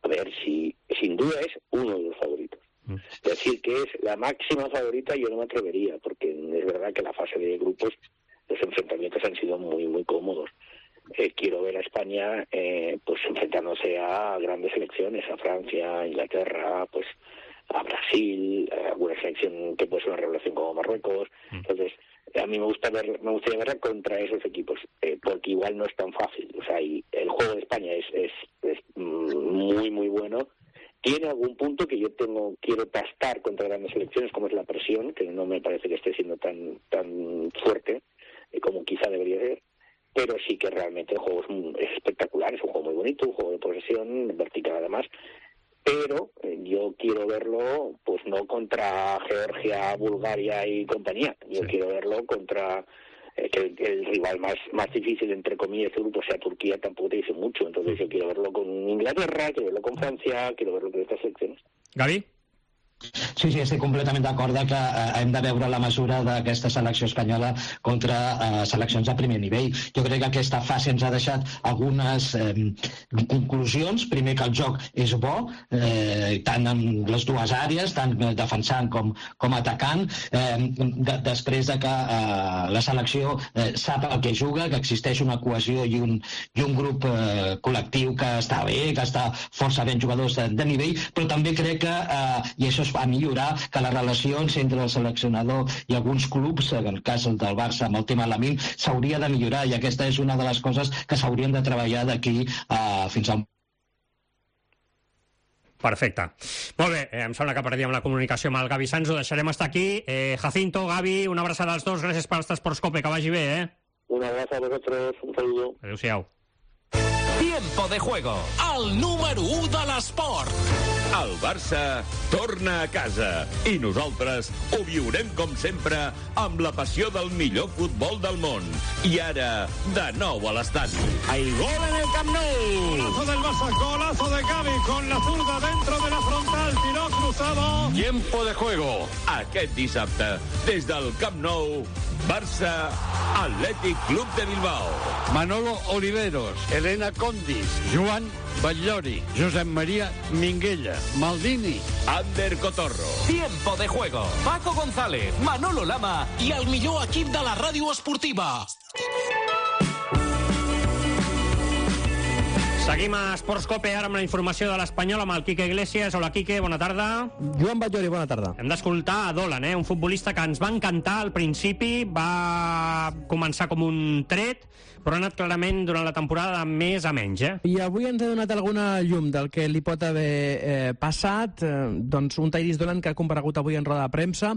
A ver, si sin duda es uno de los favoritos. Mm. Decir que es la máxima favorita yo no me atrevería, porque es verdad que la fase de grupos, los enfrentamientos han sido muy, muy cómodos. Eh, quiero ver a España eh, pues enfrentándose a grandes selecciones, a Francia, a Inglaterra, pues a Brasil, a alguna selección que puede ser una revelación como Marruecos. Mm. Entonces, a mí me gusta ver, me gustaría verla contra esos equipos, eh, porque igual no es tan fácil. O sea, y el juego de España es, es, es muy, muy bueno. Tiene algún punto que yo tengo quiero pastar contra grandes selecciones, como es la presión, que no me parece que esté siendo tan tan fuerte eh, como quizá debería ser, pero sí que realmente el juego es, es espectacular, es un juego muy bonito, un juego de posesión, vertical además, pero eh, yo quiero verlo pues no contra Georgia, Bulgaria y compañía, yo sí. quiero verlo contra... que el, el rival más, más difícil, entre comillas, este grupo sea Turquía, tampoco te dice mucho. Entonces yo quiero verlo con Inglaterra, quiero verlo con Francia, quiero verlo con estas selecciones. Gavi? Sí, sí, estic completament d'acord que eh, hem de veure la mesura d'aquesta selecció espanyola contra eh, seleccions de primer nivell. Jo crec que aquesta fase ens ha deixat algunes eh, conclusions. Primer, que el joc és bo, eh, tant en les dues àrees, tant defensant com, com atacant. Eh, de, després de que eh, la selecció eh, sap el que juga, que existeix una cohesió i un, i un grup eh, col·lectiu que està bé, que està força ben jugadors de, de nivell, però també crec que, eh, i això es va millorar, que les relacions entre el seleccionador i alguns clubs, en el cas del Barça amb el tema Lamine, s'hauria de millorar, i aquesta és una de les coses que s'haurien de treballar d'aquí uh, fins al... Perfecte. Molt bé, eh, em sembla que perdíem la comunicació amb el Gavi Sanz, ho deixarem estar aquí. Eh, Jacinto, Gavi, una abraçada als dos, gràcies per estar a Sports Cope, que vagi bé, eh? Un abrazo a vosotros, un saludo. Adéu-siau. Tiempo de juego, el número u de l'esport. El Barça torna a casa i nosaltres ho viurem com sempre amb la passió del millor futbol del món. I ara, de nou a l'estadi. Hay gol en el Camp Nou. Golazo del Barça, golazo de Gavi con la zurda dentro de la frontal, tiró cruzado. Tiempo de juego. Aquest dissabte, des del Camp Nou, Barça Athletic Club de Bilbao. Manolo Oliveros, Elena Condis, Joan Batllori, Josep María Minguella, Maldini, Ander Cotorro. Tiempo de juego. Paco González, Manolo Lama i el millor equip de la ràdio esportiva. Seguim a Esports Cope, ara amb la informació de l'Espanyol, amb el Quique Iglesias. Hola, Quique, bona tarda. Joan Batllori, bona tarda. Hem d'escoltar a Dolan, eh? un futbolista que ens va encantar al principi, va començar com un tret, però ha anat clarament durant la temporada de més a menys. Eh? I avui ens ha donat alguna llum del que li pot haver eh, passat. Eh, doncs un Tyrese Dolan que ha comparegut avui en roda de premsa.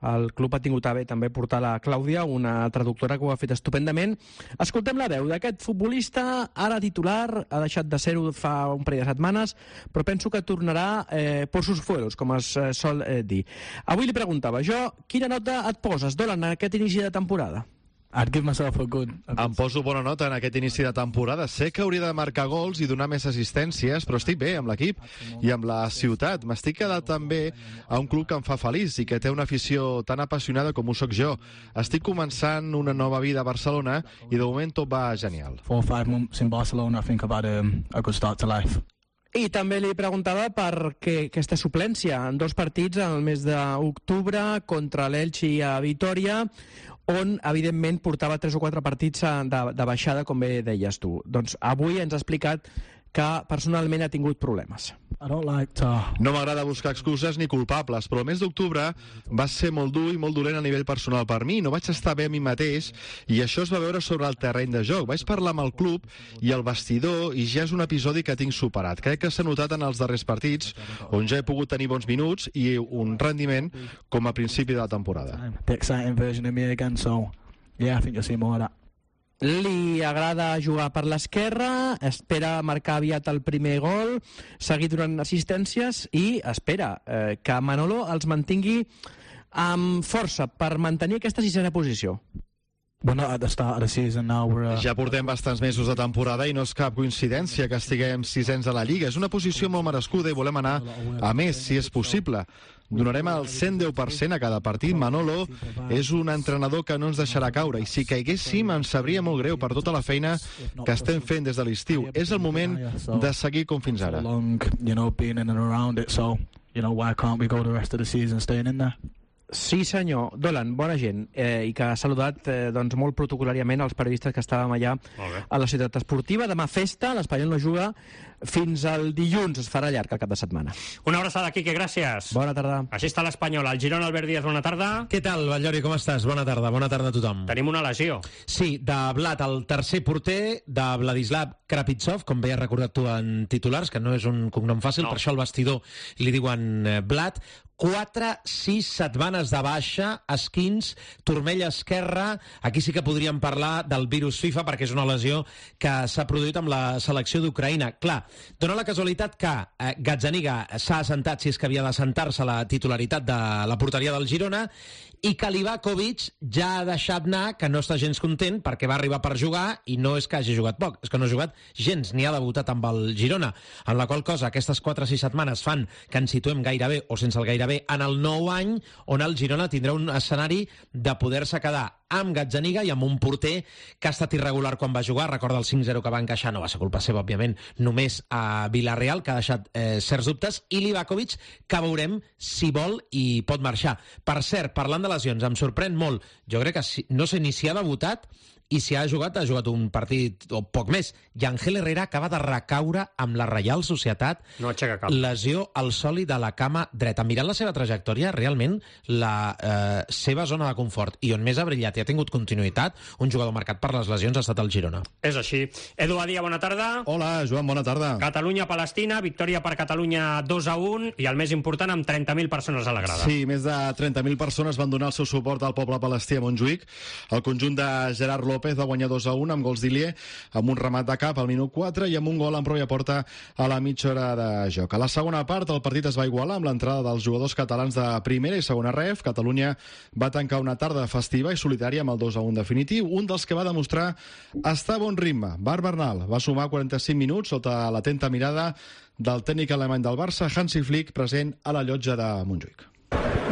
El club ha tingut a bé també portar la Clàudia, una traductora que ho ha fet estupendament. Escoltem la veu d'aquest futbolista, ara titular, ha deixat de ser-ho fa un parell de setmanes, però penso que tornarà eh, por sus fueros, com es eh, sol eh, dir. Avui li preguntava jo, quina nota et poses, Dolan, en aquest inici de temporada? I'd give myself a good... Em poso bona nota en aquest inici de temporada. Sé que hauria de marcar gols i donar més assistències, però estic bé amb l'equip i amb la ciutat. M'estic quedant també a un club que em fa feliç i que té una afició tan apassionada com ho soc jo. Estic començant una nova vida a Barcelona i de moment tot va genial. Four or five months in Barcelona, I think I've had a, a good start to life. I també li preguntava per què aquesta suplència en dos partits al mes d'octubre contra l'Elche i a Vitoria, on, evidentment, portava tres o quatre partits de, de baixada, com bé deies tu. Doncs avui ens ha explicat que personalment ha tingut problemes. Like to... No m'agrada buscar excuses ni culpables, però el mes d'octubre va ser molt dur i molt dolent a nivell personal per mi. No vaig estar bé a mi mateix i això es va veure sobre el terreny de joc. Vaig parlar amb el club i el vestidor i ja és un episodi que tinc superat. Crec que s'ha notat en els darrers partits, on ja he pogut tenir bons minuts i un rendiment com a principi de la temporada. The exciting version of me again, so yeah, I think you'll see more of that. Li agrada jugar per l'esquerra, espera marcar aviat el primer gol, seguir donant assistències i espera eh, que Manolo els mantingui amb força per mantenir aquesta sisena posició. We're not at the start of the season now. We're, uh... Ja portem bastants mesos de temporada i no és cap coincidència que estiguem sisens a la Lliga. És una posició molt merescuda i volem anar a més, si és possible. Donarem el cent deu per cent a cada partit. Manolo és un entrenador que no ens deixarà caure i si caiguéssim ens sabria molt greu per tota la feina que estem fent des de l'estiu. És el moment de seguir com fins ara. You know, being in and around it, so, you know, why can't we go the rest of the season staying in there? Sí, senyor. Dolan, bona gent, eh, i que ha saludat eh, doncs, molt protocolàriament els periodistes que estàvem allà a la ciutat esportiva. Demà festa, l'Espanyol no juga fins al dilluns, es farà llarg el cap de setmana. Una abraçada, Quique, gràcies. Bona tarda. Així està l'Espanyol. El Girona, Albert Díaz, bona tarda. Què tal, Batllori, com estàs? Bona tarda, bona tarda a tothom. Tenim una lesió. Sí, de Blat, el tercer porter de Vladislav Krapitsov, com bé has recordat tu en titulars, que no és un cognom fàcil, no. Per això al vestidor li diuen Blat. quatre sis setmanes de baixa, esquins, turmell esquerra. Aquí sí que podríem parlar del virus FIFA perquè és una lesió que s'ha produït amb la selecció d'Ucraïna. Clar, dona la casualitat que eh, Gazzaniga s'ha assentat, si és que havia d'assentar-se, la titularitat de la porteria del Girona, i que Livakovic ja ha deixat anar, que no està gens content perquè va arribar per jugar i no és que hagi jugat poc, és que no ha jugat gens, ni ha debutat amb el Girona, en la qual cosa aquestes quatre o sis setmanes fan que ens situem gairebé o sense el gairebé en el nou any on el Girona tindrà un escenari de poder-se quedar amb Gazzaniga i amb un porter que ha estat irregular quan va jugar. Recorda el cinc zero que va encaixar, no va ser culpa seva, òbviament, només a Villarreal, que ha deixat eh, certs dubtes, i Livakovic, que veurem si vol i pot marxar. Per cert, parlant de lesions, em sorprèn molt. Jo crec que si, no sé ni si ha debutat i si ha jugat, ha jugat un partit o poc més. I Ángel Herrera acaba de recaure amb la Reial Societat. No aixeca cap. Lesió al sòlid de la cama dreta. Mirant la seva trajectòria, realment la eh, seva zona de confort i on més ha brillat i ha tingut continuïtat, un jugador marcat per les lesions ha estat el Girona. És així. Edu Badia, bona tarda. Hola, Joan, bona tarda. Catalunya-Palestina, victòria per Catalunya dos a un i el més important amb trenta mil persones a la grada. Sí, més de trenta mil persones van donar el seu suport al poble palestí a Montjuïc. El conjunt de Gerard López va guanyar dos a un amb gols d'Ilié, amb un remat de cap al minut quatre i amb un gol en pròpia porta a la mitja hora de joc. A la segona part el partit es va igualar amb l'entrada dels jugadors catalans de primera i segona ref. Catalunya va tancar una tarda festiva i solitària amb el dos a un definitiu, un dels que va demostrar estar a bon ritme. Bar Bernal va sumar quaranta-cinc minuts sota l'atenta mirada del tècnic alemany del Barça, Hansi Flick, present a la llotja de Montjuïc.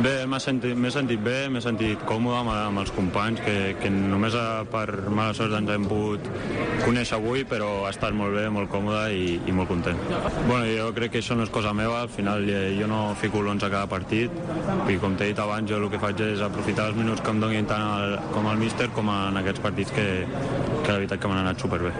Bé, m'he sentit, sentit bé, m'he sentit còmode amb, amb els companys, que, que només per mala sort ens hem pogut conèixer avui, però ha estat molt bé, molt còmode i, i molt content. Bueno, jo crec que això no és cosa meva, al final jo no fico l'onze a cada partit, i com t'he dit abans, jo el que faig és aprofitar els minuts que em donin tant el, com el míster com en aquests partits que, que la veritat que m'han anat superbé.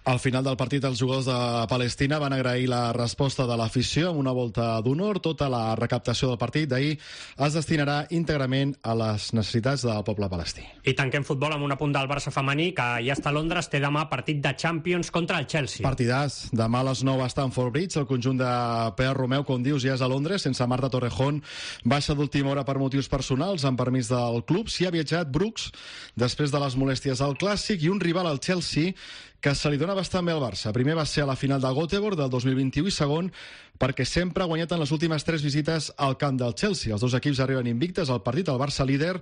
Al final del partit, els jugadors de Palestina van agrair la resposta de l'afició amb una volta d'honor. Tota la recaptació del partit d'ahir es destinarà íntegrament a les necessitats del poble palestí. I tanquem futbol amb un apunt del Barça femení, que ja està a Londres, té demà partit de Champions contra el Chelsea. Partidàs. Demà a les nou a Stamford Bridge, el conjunt de P R Romeu, com dius, ja és a Londres, sense Marta Torrejón. Baixa d'última hora per motius personals, amb permís del club. S'hi ha viatjat Brooks, després de les molèsties al Clàssic, i un rival al Chelsea que se li dona bastant bé al Barça. Primer va ser a la final del Göteborg del dos mil vint-i-u i segon perquè sempre ha guanyat en les últimes tres visites al camp del Chelsea. Els dos equips arriben invictes al partit, el Barça líder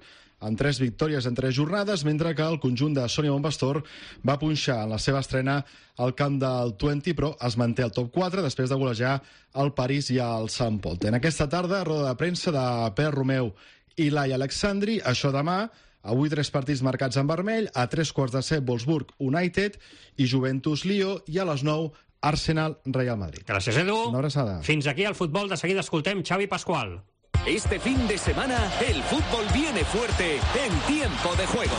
amb tres victòries en tres jornades, mentre que el conjunt de Sònia Bonpastor va punxar en la seva estrena al camp del vint, però es manté al top quatre després de golejar el París i el Sant Pol. En aquesta tarda, roda de premsa de Per Romeu i Laia Alexandri. Això demà. Avui tres partits marcats en vermell, a tres quarts de set Wolfsburg United i Juventus Lió, i a les nou Arsenal Real Madrid. Gràcies, Edu. Una abraçada. Fins aquí el futbol. De seguida escoltem Xavi Pascual. Este fin de semana el fútbol viene fuerte en Tiempo de Juego.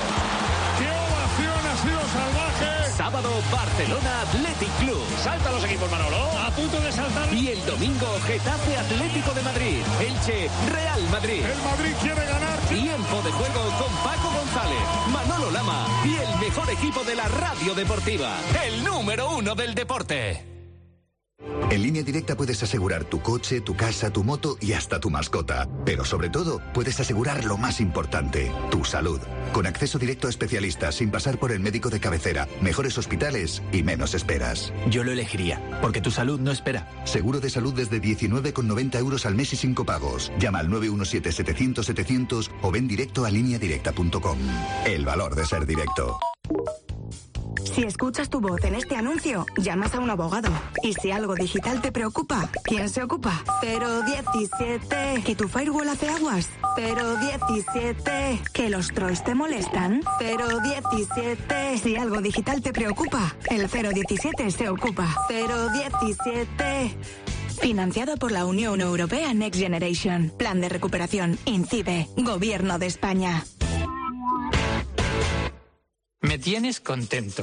¡Qué ovación ha sido salvaje! Sábado, Barcelona Athletic Club. Salta los equipos, Manolo. A punto de saltar. Y el domingo, Getafe Atlético de Madrid. Elche Real Madrid. El Madrid quiere ganar. Tiempo de Juego con Paco González, Manolo Lama y el mejor equipo de la radio deportiva. El número uno del deporte. En Línea Directa puedes asegurar tu coche, tu casa, tu moto y hasta tu mascota. Pero sobre todo, puedes asegurar lo más importante, tu salud. Con acceso directo a especialistas, sin pasar por el médico de cabecera, mejores hospitales y menos esperas. Yo lo elegiría, porque tu salud no espera. Seguro de salud desde diecinueve con noventa euros al mes y sin copagos. Llama al nueve uno siete setecientos setecientos o ven directo a línea directa punto com. El valor de ser directo. Si escuchas tu voz en este anuncio, llamas a un abogado. Y si algo digital te preocupa, ¿quién se ocupa? cero diecisiete. ¿Que tu firewall hace aguas? cero diecisiete. ¿Que los trolls te molestan? cero diecisiete. Si algo digital te preocupa, el cero diecisiete se ocupa. cero diecisiete. Financiado por la Unión Europea Next Generation. Plan de recuperación. INCIBE. Gobierno de España. Me tienes contento.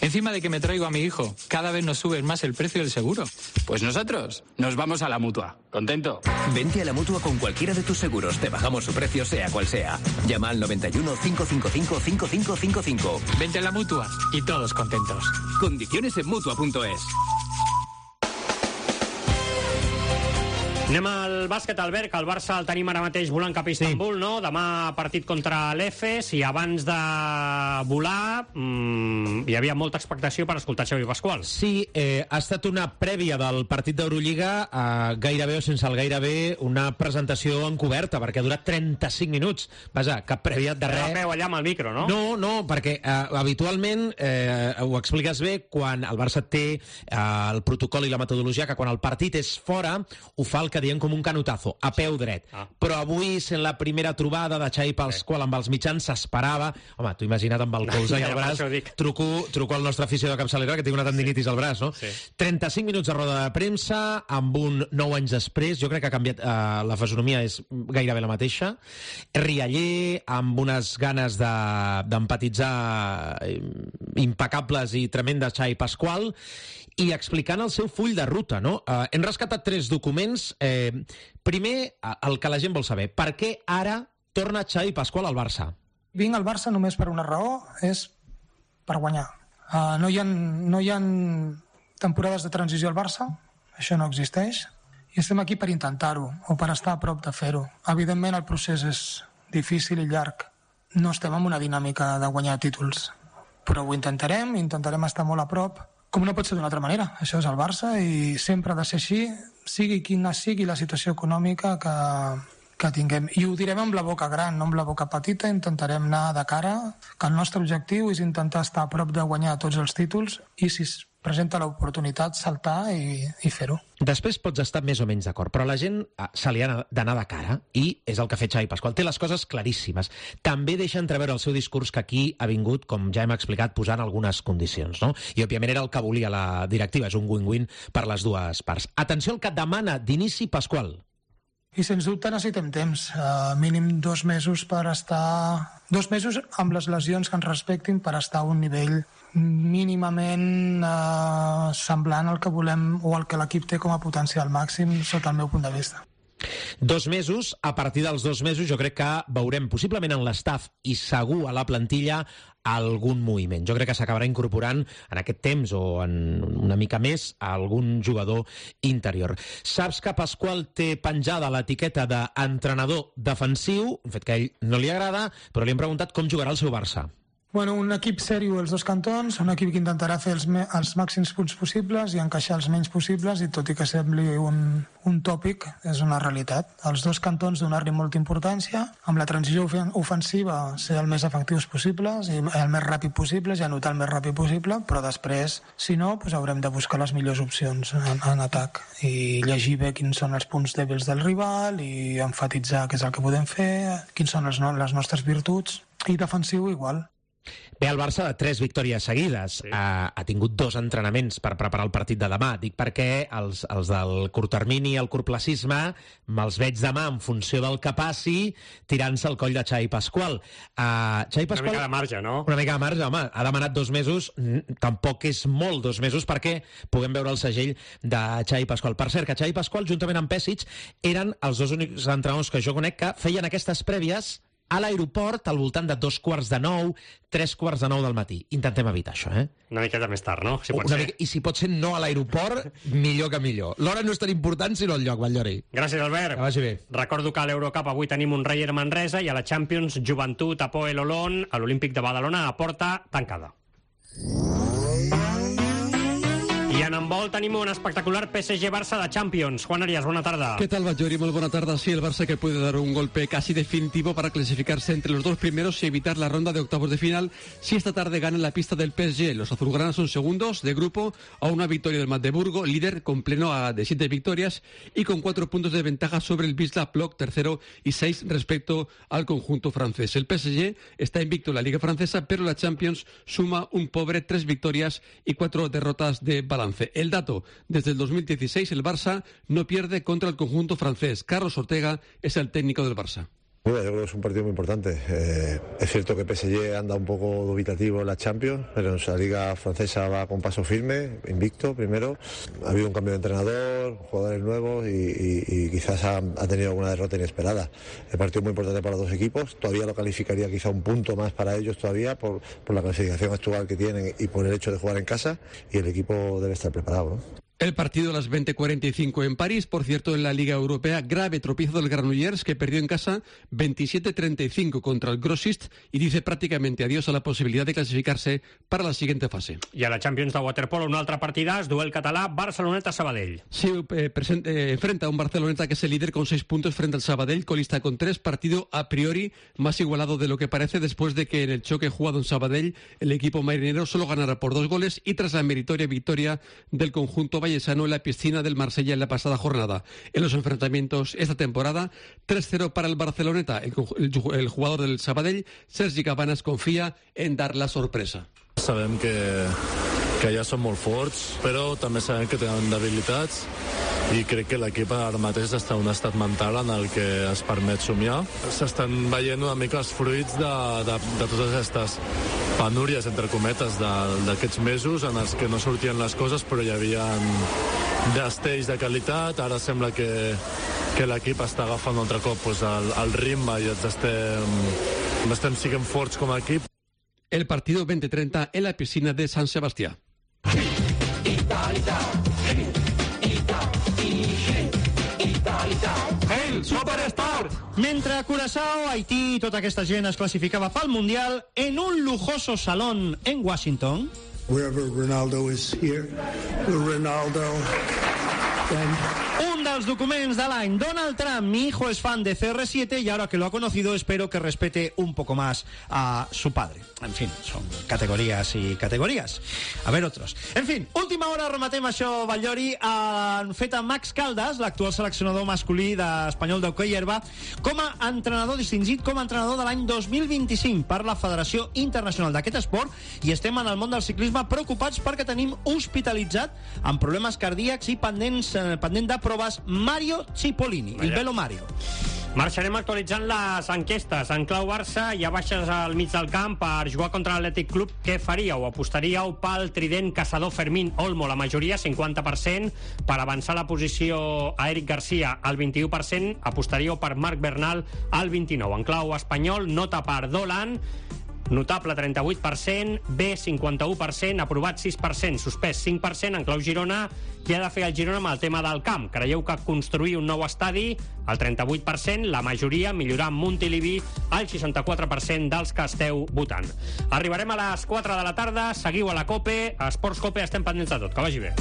Encima de que me traigo a mi hijo, cada vez nos subes más el precio del seguro. Pues nosotros nos vamos a la Mutua. ¿Contento? Vente a la Mutua con cualquiera de tus seguros. Te bajamos su precio, sea cual sea. Llama al noventa y uno, cinco cinco cinco, cinco cinco cinco cinco. Vente a la Mutua y todos contentos. Condiciones en Mutua punto es. Anem al bàsquet, Albert, que el Barça el tenim ara mateix volant cap a Istanbul, sí. No? Demà partit contra l'Efes, i abans de volar mmm, hi havia molta expectació per escoltar Xavi Pascual. Sí, eh, ha estat una prèvia del partit d'Eurolliga, eh, gairebé o sense el gairebé, una presentació encoberta, perquè ha durat trenta-cinc minuts. Vaja, cap prèvia de res. Però veu allà amb el micro, no? No, no, perquè eh, habitualment, eh, ho expliques bé, quan el Barça té eh, el protocol i la metodologia, que quan el partit és fora, ho fa el que diem com un canotazo, a peu dret. Ah. Però avui, sent la primera trobada de Xavi Pascual amb els mitjans, s'esperava... Home, t'ho imagina't amb el colze i el braç. Truco, truco al nostre afició de capçalera, que té una tendinitis al braç, no? Sí. trenta-cinc minuts de roda de premsa, amb un nou anys després. Jo crec que ha canviat... Eh, la fisonomia és gairebé la mateixa. Rialler, amb unes ganes d'empatitzar de, impecables i tremendes Xavi Pascual, i explicant el seu full de ruta, no? Eh, hem rescatat tres documents. Eh, primer, el que la gent vol saber. Per què ara torna Xavi Pascual al Barça? Vinc al Barça només per una raó, és per guanyar. Uh, no, hi ha, no hi ha temporades de transició al Barça, això no existeix, i estem aquí per intentar-ho, o per estar a prop de fer-ho. Evidentment el procés és difícil i llarg. No estem en una dinàmica de guanyar títols, però ho intentarem, intentarem estar molt a prop, com no pot ser d'una altra manera. Això és el Barça i sempre ha de ser així, sigui quina sigui la situació econòmica que, que tinguem. I ho direm amb la boca gran, no amb la boca petita. Intentarem anar de cara, que el nostre objectiu és intentar estar a prop de guanyar tots els títols i, si es presenta l'oportunitat, saltar i, i fer-ho. Després pots estar més o menys d'acord, però la gent se li ha d'anar de cara, i és el que ha fet Xavi Pascual. Té les coses claríssimes. També deixa entreveure el seu discurs que aquí ha vingut, com ja hem explicat, posant algunes condicions, no? I, òbviament, era el que volia la directiva. És un win-win per les dues parts. Atenció al que et demana d'inici Pascual. I, sens dubte, necessitem temps. Uh, mínim dos mesos per estar... Dos mesos amb les lesions que ens respectin per estar a un nivell mínimament eh, semblant al que volem o al que l'equip té com a potencial màxim sota el meu punt de vista. Dos mesos, a partir dels dos mesos jo crec que veurem possiblement en l'estaf i segur a la plantilla algun moviment. Jo crec que s'acabarà incorporant en aquest temps o en una mica més a algun jugador interior. Saps que Pasqual té penjada l'etiqueta d'entrenador defensiu, un fet que a ell no li agrada, però li hem preguntat com jugarà el seu Barça. Bueno, un equip sèrio als dos cantons, un equip que intentarà fer els, els màxims punts possibles i encaixar els menys possibles, i tot i que sembli un, un tòpic, és una realitat. Els dos cantons donar-li molta importància, amb la transició ofensiva ser el més efectius possibles i el més ràpid possible, i anotar el més ràpid possible, però després, si no, doncs haurem de buscar les millors opcions en, en atac i llegir bé quins són els punts dèbils del rival i enfatitzar què és el que podem fer, quins són les, no, les nostres virtuts, i defensiu igual. Ve el Barça de tres victòries seguides. Sí. Ha, ha tingut dos entrenaments per preparar el partit de demà. Dic perquè els, els del curt termini i el curtplacisme me'ls veig demà en funció del que passi tirant-se al coll de Xavi Pasqual. Uh, Xavi Pasqual. Una mica de marge, no? Una mica de marge, home. Ha demanat dos mesos. Tampoc és molt dos mesos perquè puguem veure el segell de Xavi Pasqual. Per cert, que Xavi Pasqual, juntament amb Pesic, eren els dos únics entrenadors que jo conec que feien aquestes prèvies a l'aeroport al voltant de dos quarts de nou, tres quarts de nou del matí. Intentem evitar això, eh? Una miqueta més tard, no? Si pot Una ser. mica, I si pot ser no a l'aeroport, millor que millor. L'hora no és tan important, sinó el lloc, Batllori. Gràcies, Albert. Que vagi bé. Recordo que a l'Eurocup avui tenim un Rayer Manresa i a la Champions Joventut Apoel Olón a l'Olímpic de Badalona a porta tancada. I en handbol tenim un espectacular P S G-Barça de Champions. Juan Arias, buena tarde. ¿Qué tal, Batllori? Muy buena tarde. Sí, el Barça que puede dar un golpe casi definitivo para clasificarse entre los dos primeros y evitar la ronda de octavos de final si esta tarde gana en la pista del P S G. Los azulgranas son segundos de grupo a una victoria del Magdeburgo, líder con pleno de siete victorias y con cuatro puntos de ventaja sobre el Wisla Plock, tercero, y seis respecto al conjunto francés. El P S G está invicto en la Liga Francesa, pero la Champions suma un pobre tres victorias y cuatro derrotas de balance. El dato, desde el dos mil dieciséis el Barça no pierde contra el conjunto francés. Carlos Ortega es el técnico del Barça. Bueno, yo creo que es un partido muy importante. Eh, es cierto que P S G anda un poco dubitativo en la Champions, pero en la Liga Francesa va con paso firme, invicto primero. Ha habido un cambio de entrenador, jugadores nuevos y, y, y quizás ha, ha tenido alguna derrota inesperada. El partido es muy importante para los dos equipos. Todavía lo calificaría quizá un punto más para ellos todavía por, por la clasificación actual que tienen y por el hecho de jugar en casa, y el equipo debe estar preparado, ¿no? El partido a las veinte cuarenta y cinco en París. Por cierto, en la Liga Europea, grave tropiezo del Granollers, que perdió en casa veintisiete treinta y cinco contra el Grossist y dice prácticamente adiós a la posibilidad de clasificarse para la siguiente fase. Y a la Champions de waterpolo, un altre partidàs, duel català, Barceloneta-Sabadell. Sí, eh, present, eh, enfrenta a un Barceloneta que es el líder con seis puntos frente al Sabadell, colista con tres, partido a priori más igualado de lo que parece después de que en el choque jugado en Sabadell el equipo marinero solo ganara por dos goles y tras la meritoria victoria del conjunto vallesano en la piscina del Marsella en la pasada jornada. En los enfrentamientos esta temporada, tres cero para el Barceloneta. El, el, el jugador del Sabadell, Sergi Cabanas, confía en dar la sorpresa. Sabem que, que ja són molt forts, però també sabem que tenen debilitats i crec que l'equip ara mateix està en un estat mental en el que es permet somiar. S'estan veient una mica els fruits de, de, de totes aquestes penúries, entre cometes, d'aquests mesos en els que no sortien les coses, però hi havia destells de qualitat. Ara sembla que, que l'equip està agafant un altre cop pues, el, el ritme i ens estem, estem siguent forts com a equip. El partido veinte treinta en la piscina de San Sebastián. El Supersport! Mentre a Curaçao, Haití i tota aquesta gent es classificava pel Mundial en un lujoso salón en Washington. Wherever Ronaldo is here, Ronaldo. Un dels documents de l'any. Donald Trump, mi hijo es fan de C R siete y ahora que lo ha conocido espero que respete un poco más a su padre. En fin, son categorías y categorías. A ver otros. En fin, última hora, rematem això, Batllori. Han fet a Max Caldas, l'actual seleccionador masculí d'Espanyol d'hoquei herba, com a entrenador distingit, com a entrenador de l'any dos mil vint-i-cinc per la Federació Internacional d'aquest esport, i estem en el món del ciclisme preocupats perquè tenim hospitalitzat amb problemes cardíacs i pendents, eh, pendent de proves Mario Cipollini, el Velo Mario. Marxarem actualitzant les enquestes. En clau Barça hi ha baixes al mig del camp per jugar contra l'Atlètic Club. Què faríeu? Apostaríeu pel trident caçador Fermín Olmo, la majoria, cinquanta per cent. Per avançar la posició a Eric Garcia, al vint-i-u per cent. Apostaríeu per Marc Bernal, al vint-i-nou per cent. En clau espanyol, nota per Dolan, notable trenta-vuit per cent, B cinquanta-u per cent, aprovat sis per cent, suspès cinc per cent. En clau Girona, què ha de fer el Girona amb el tema del camp? Creieu que construir un nou estadi? El trenta-vuit per cent, la majoria, millorar Montilivi, el seixanta-quatre per cent dels que esteu votant. Arribarem a les quatre de la tarda, seguiu a la COPE, a Esports COPE, estem pendents de tot. Que vagi bé.